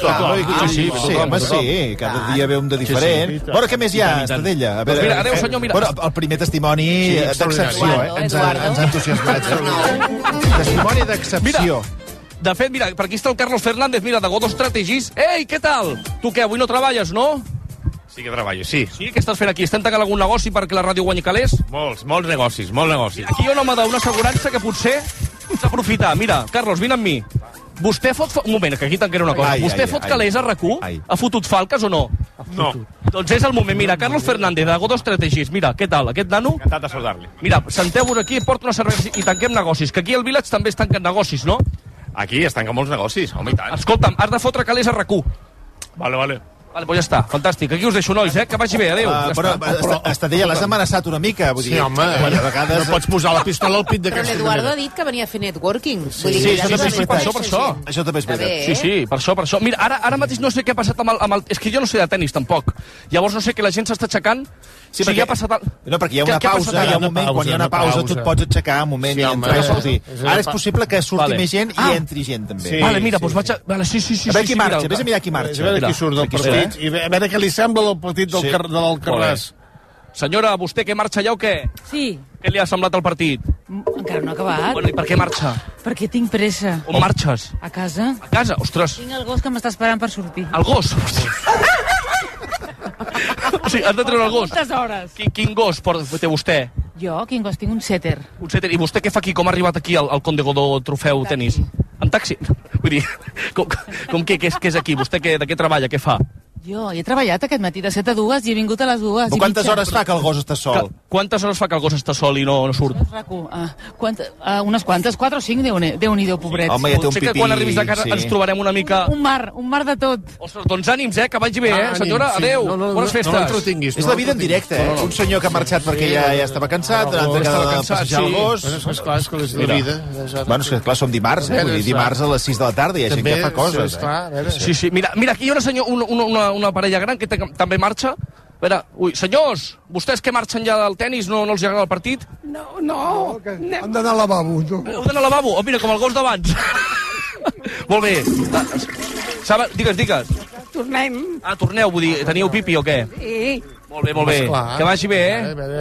home, sí, cada dia ve un de diferent. Bueno, què més hi ha, Estadella? Mira, adéu, senyor, mira. Bueno, el primer testimoni d'excepció, ens ha entusiasmat. Testimoni d'excepció. De fet, mira, per aquí està el Carlos Fernández, mira, de Godó Strategies. Ei, què tal? Tu què, avui no treballes, no? Sí que treballo, sí. Sí? Què estàs fent aquí? Estem tancant algun negoci perquè la ràdio guanyi calés? Molts negocis. Aquí hi ha un home d'una assegurança que potser pots aprofitar. Mira, Carlos, vine amb mi. Vostè fot... Un moment, que aquí tancaré una cosa. Vostè fot calés a RAC1? Ha fotut falques o no? No. Doncs és el moment. Mira, Carlos Fernández, de Godó Strategies. Mira, què tal, aquest nano? Encantat de saludar-li. Mira, senteu-vos aquí, porta una cervesa i tanquem negocis. Que aquí al Village també es tanquen negocis, no? Aquí es tanquen molts negocis, home, i tant. Escolta'm, has de fotre calés a RAC1. Vale. Vale, doncs ja està, fantàstic. Aquí us deixo, nois, que vagi bé, adéu. Però, Estadella, l'has amenaçat una mica. Vull dir, sí, home, a vegades... no pots posar la pistola al pit Però d'aquesta l'Eduardo ha dit que venia a fer networking. Sí, per això. Això també és veritat. Sí, per això. Mira, ara mateix no sé què ha passat amb el... És que jo no sé de tenis, tampoc. Llavors no sé que la gent s'està aixecant... Sí, perquè, no, perquè hi ha una pausa, hi ha un moment, quan hi ha una pausa, tu et pots aixecar un moment i entrar a sortir. Ara és possible que surti més gent i entri gent, també. Vale, mira, doncs vaig a... Sí. A veure qui marxa, vés a mirar qui marxa. A veure qui surt del partit i a veure què li sembla el partit del Carràs. Senyora, vostè que marxa ja o què? Sí. Què li ha semblat el partit? Encara no ha acabat. Bueno, i per què marxa? Perquè tinc pressa. On marxes? A casa. A casa? Ostres. Tinc el gos que m'està esperant per sortir. El gos? O sigui, has de treure el gos. Moltes hores. Quin gos té vostè? Jo, quin gos? Tinc un setter. Un setter. I vostè què fa aquí? Com ha arribat aquí al Conde Godó Trofeu Tenis? En taxi? Vull dir, com què és aquí? Vostè de què treballa? Què fa? Jo he treballat aquest matí de 7 a 2 i he vingut a les 2. Però quantes hores fa que el gos està sol? Quantes hores fa que el gos està sol i no surt? Unes quantes, 4 o 5, Déu-n'hi-do, pobret. Home, ja té un pipí. Sé que quan arribis a casa ens trobarem una mica... Un mar de tot. Ostres, doncs ànims, que vagi bé, senyora. Adéu, bones festes. No l'entretinguis. És la vida en directe, Un senyor que ha marxat perquè ja estava cansat, un altre que ha de passejar el gos. Esclar, és que és la vida. Bueno, és que clar, som dimarts, vull dir, dimarts a les 6 de la tarda i hi ha gent que fa coses. Sí. Mira, aquí hi ha una parella gran que també marxa. A veure, senyors, vostès que marxen ja del tenis no els agrada el partit? No. Han d'anar al lavabo. Heu d'anar al lavabo? Mira, com el gos d'abans. Molt bé. Digues. Tornem. Torneu, vull dir, teniu pipi o què? Sí. Molt bé, molt bé. Que vagi bé,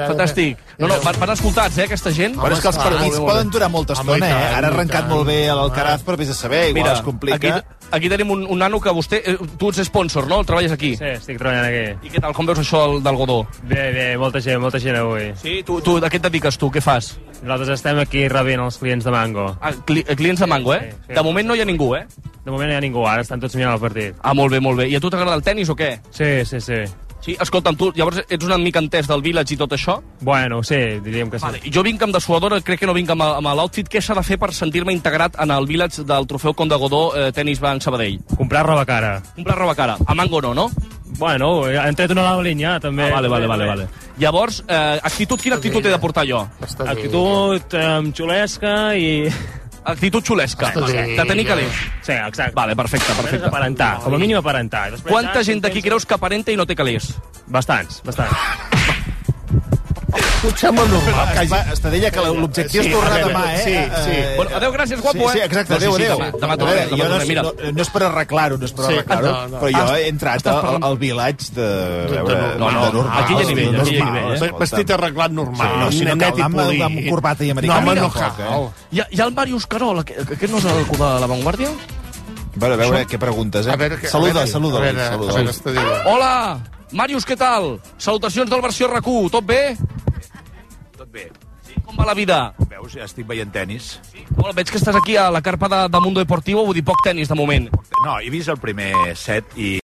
Fantàstic. No, van escoltats, aquesta gent. Però és que els partits poden durar molta estona, Ara ha arrencat molt bé l'Alcaraz, però vés a saber, igual es complica. Aquí tenim un nano que vostè... Tu ets sponsor, no? Treballes aquí? Sí, estic treballant aquí. I què tal? Com veus això del Godó? Bé, molta gent avui. Sí? Tu a què et dediques, tu? Què fas? Nosaltres estem aquí rebent els clients de Mango. Clients de Mango, eh? Sí. De moment no hi ha ningú, eh? De moment no hi ha ningú, ara estan tots mirant el partit. Molt bé, molt bé. I a tu t'agrada el tennis o què? Sí. Sí, escolta'm, tu llavors ets una mica entès del Village i tot això? Bueno, sí, diríem que sí. Vale. Jo vinc amb dessuadora, crec que no vinc amb l'outfit. Què s'ha de fer per sentir-me integrat en el Village del trofeu Conde Godó Tenis Banc Sabadell? Comprar roba cara. Comprar roba cara. A Mango no? Bueno, han tret una nova línia, també. Vale. Llavors, actitud, quina actitud he de portar jo? Actitud xulesca i... Actitud xulesca. De tenir calés. Sí, exacte. Vale, perfecte. Aparentar, com a mínim aparentar. Quanta gent d'aquí creus que aparenta i no té calés? Bastants. Potser-me normal. Estadella, que l'objectiu és tornar demà, Sí. Bueno, adéu, gràcies, guapo, Sí, exacte, adéu. Demà tornem. No és per arreglar-ho, però jo he entrat al Village de normal. Aquí hi ha nivell. Vestit arreglat normal. Si no cal anar amb corbata i americana. No, home, no cal. Hi ha el Màrius Carol, aquest no és el de La Vanguardia? A veure què preguntes, Saluda. Hola, Màrius, què tal? Salutacions del versió RAC1, tot bé? Tot bé. Com va la vida? Veus, ja estic veient tenis. Bueno, veig que estàs aquí a la carpa de Mundo Deportivo, vull dir poc tenis de moment. No, he vist el primer set i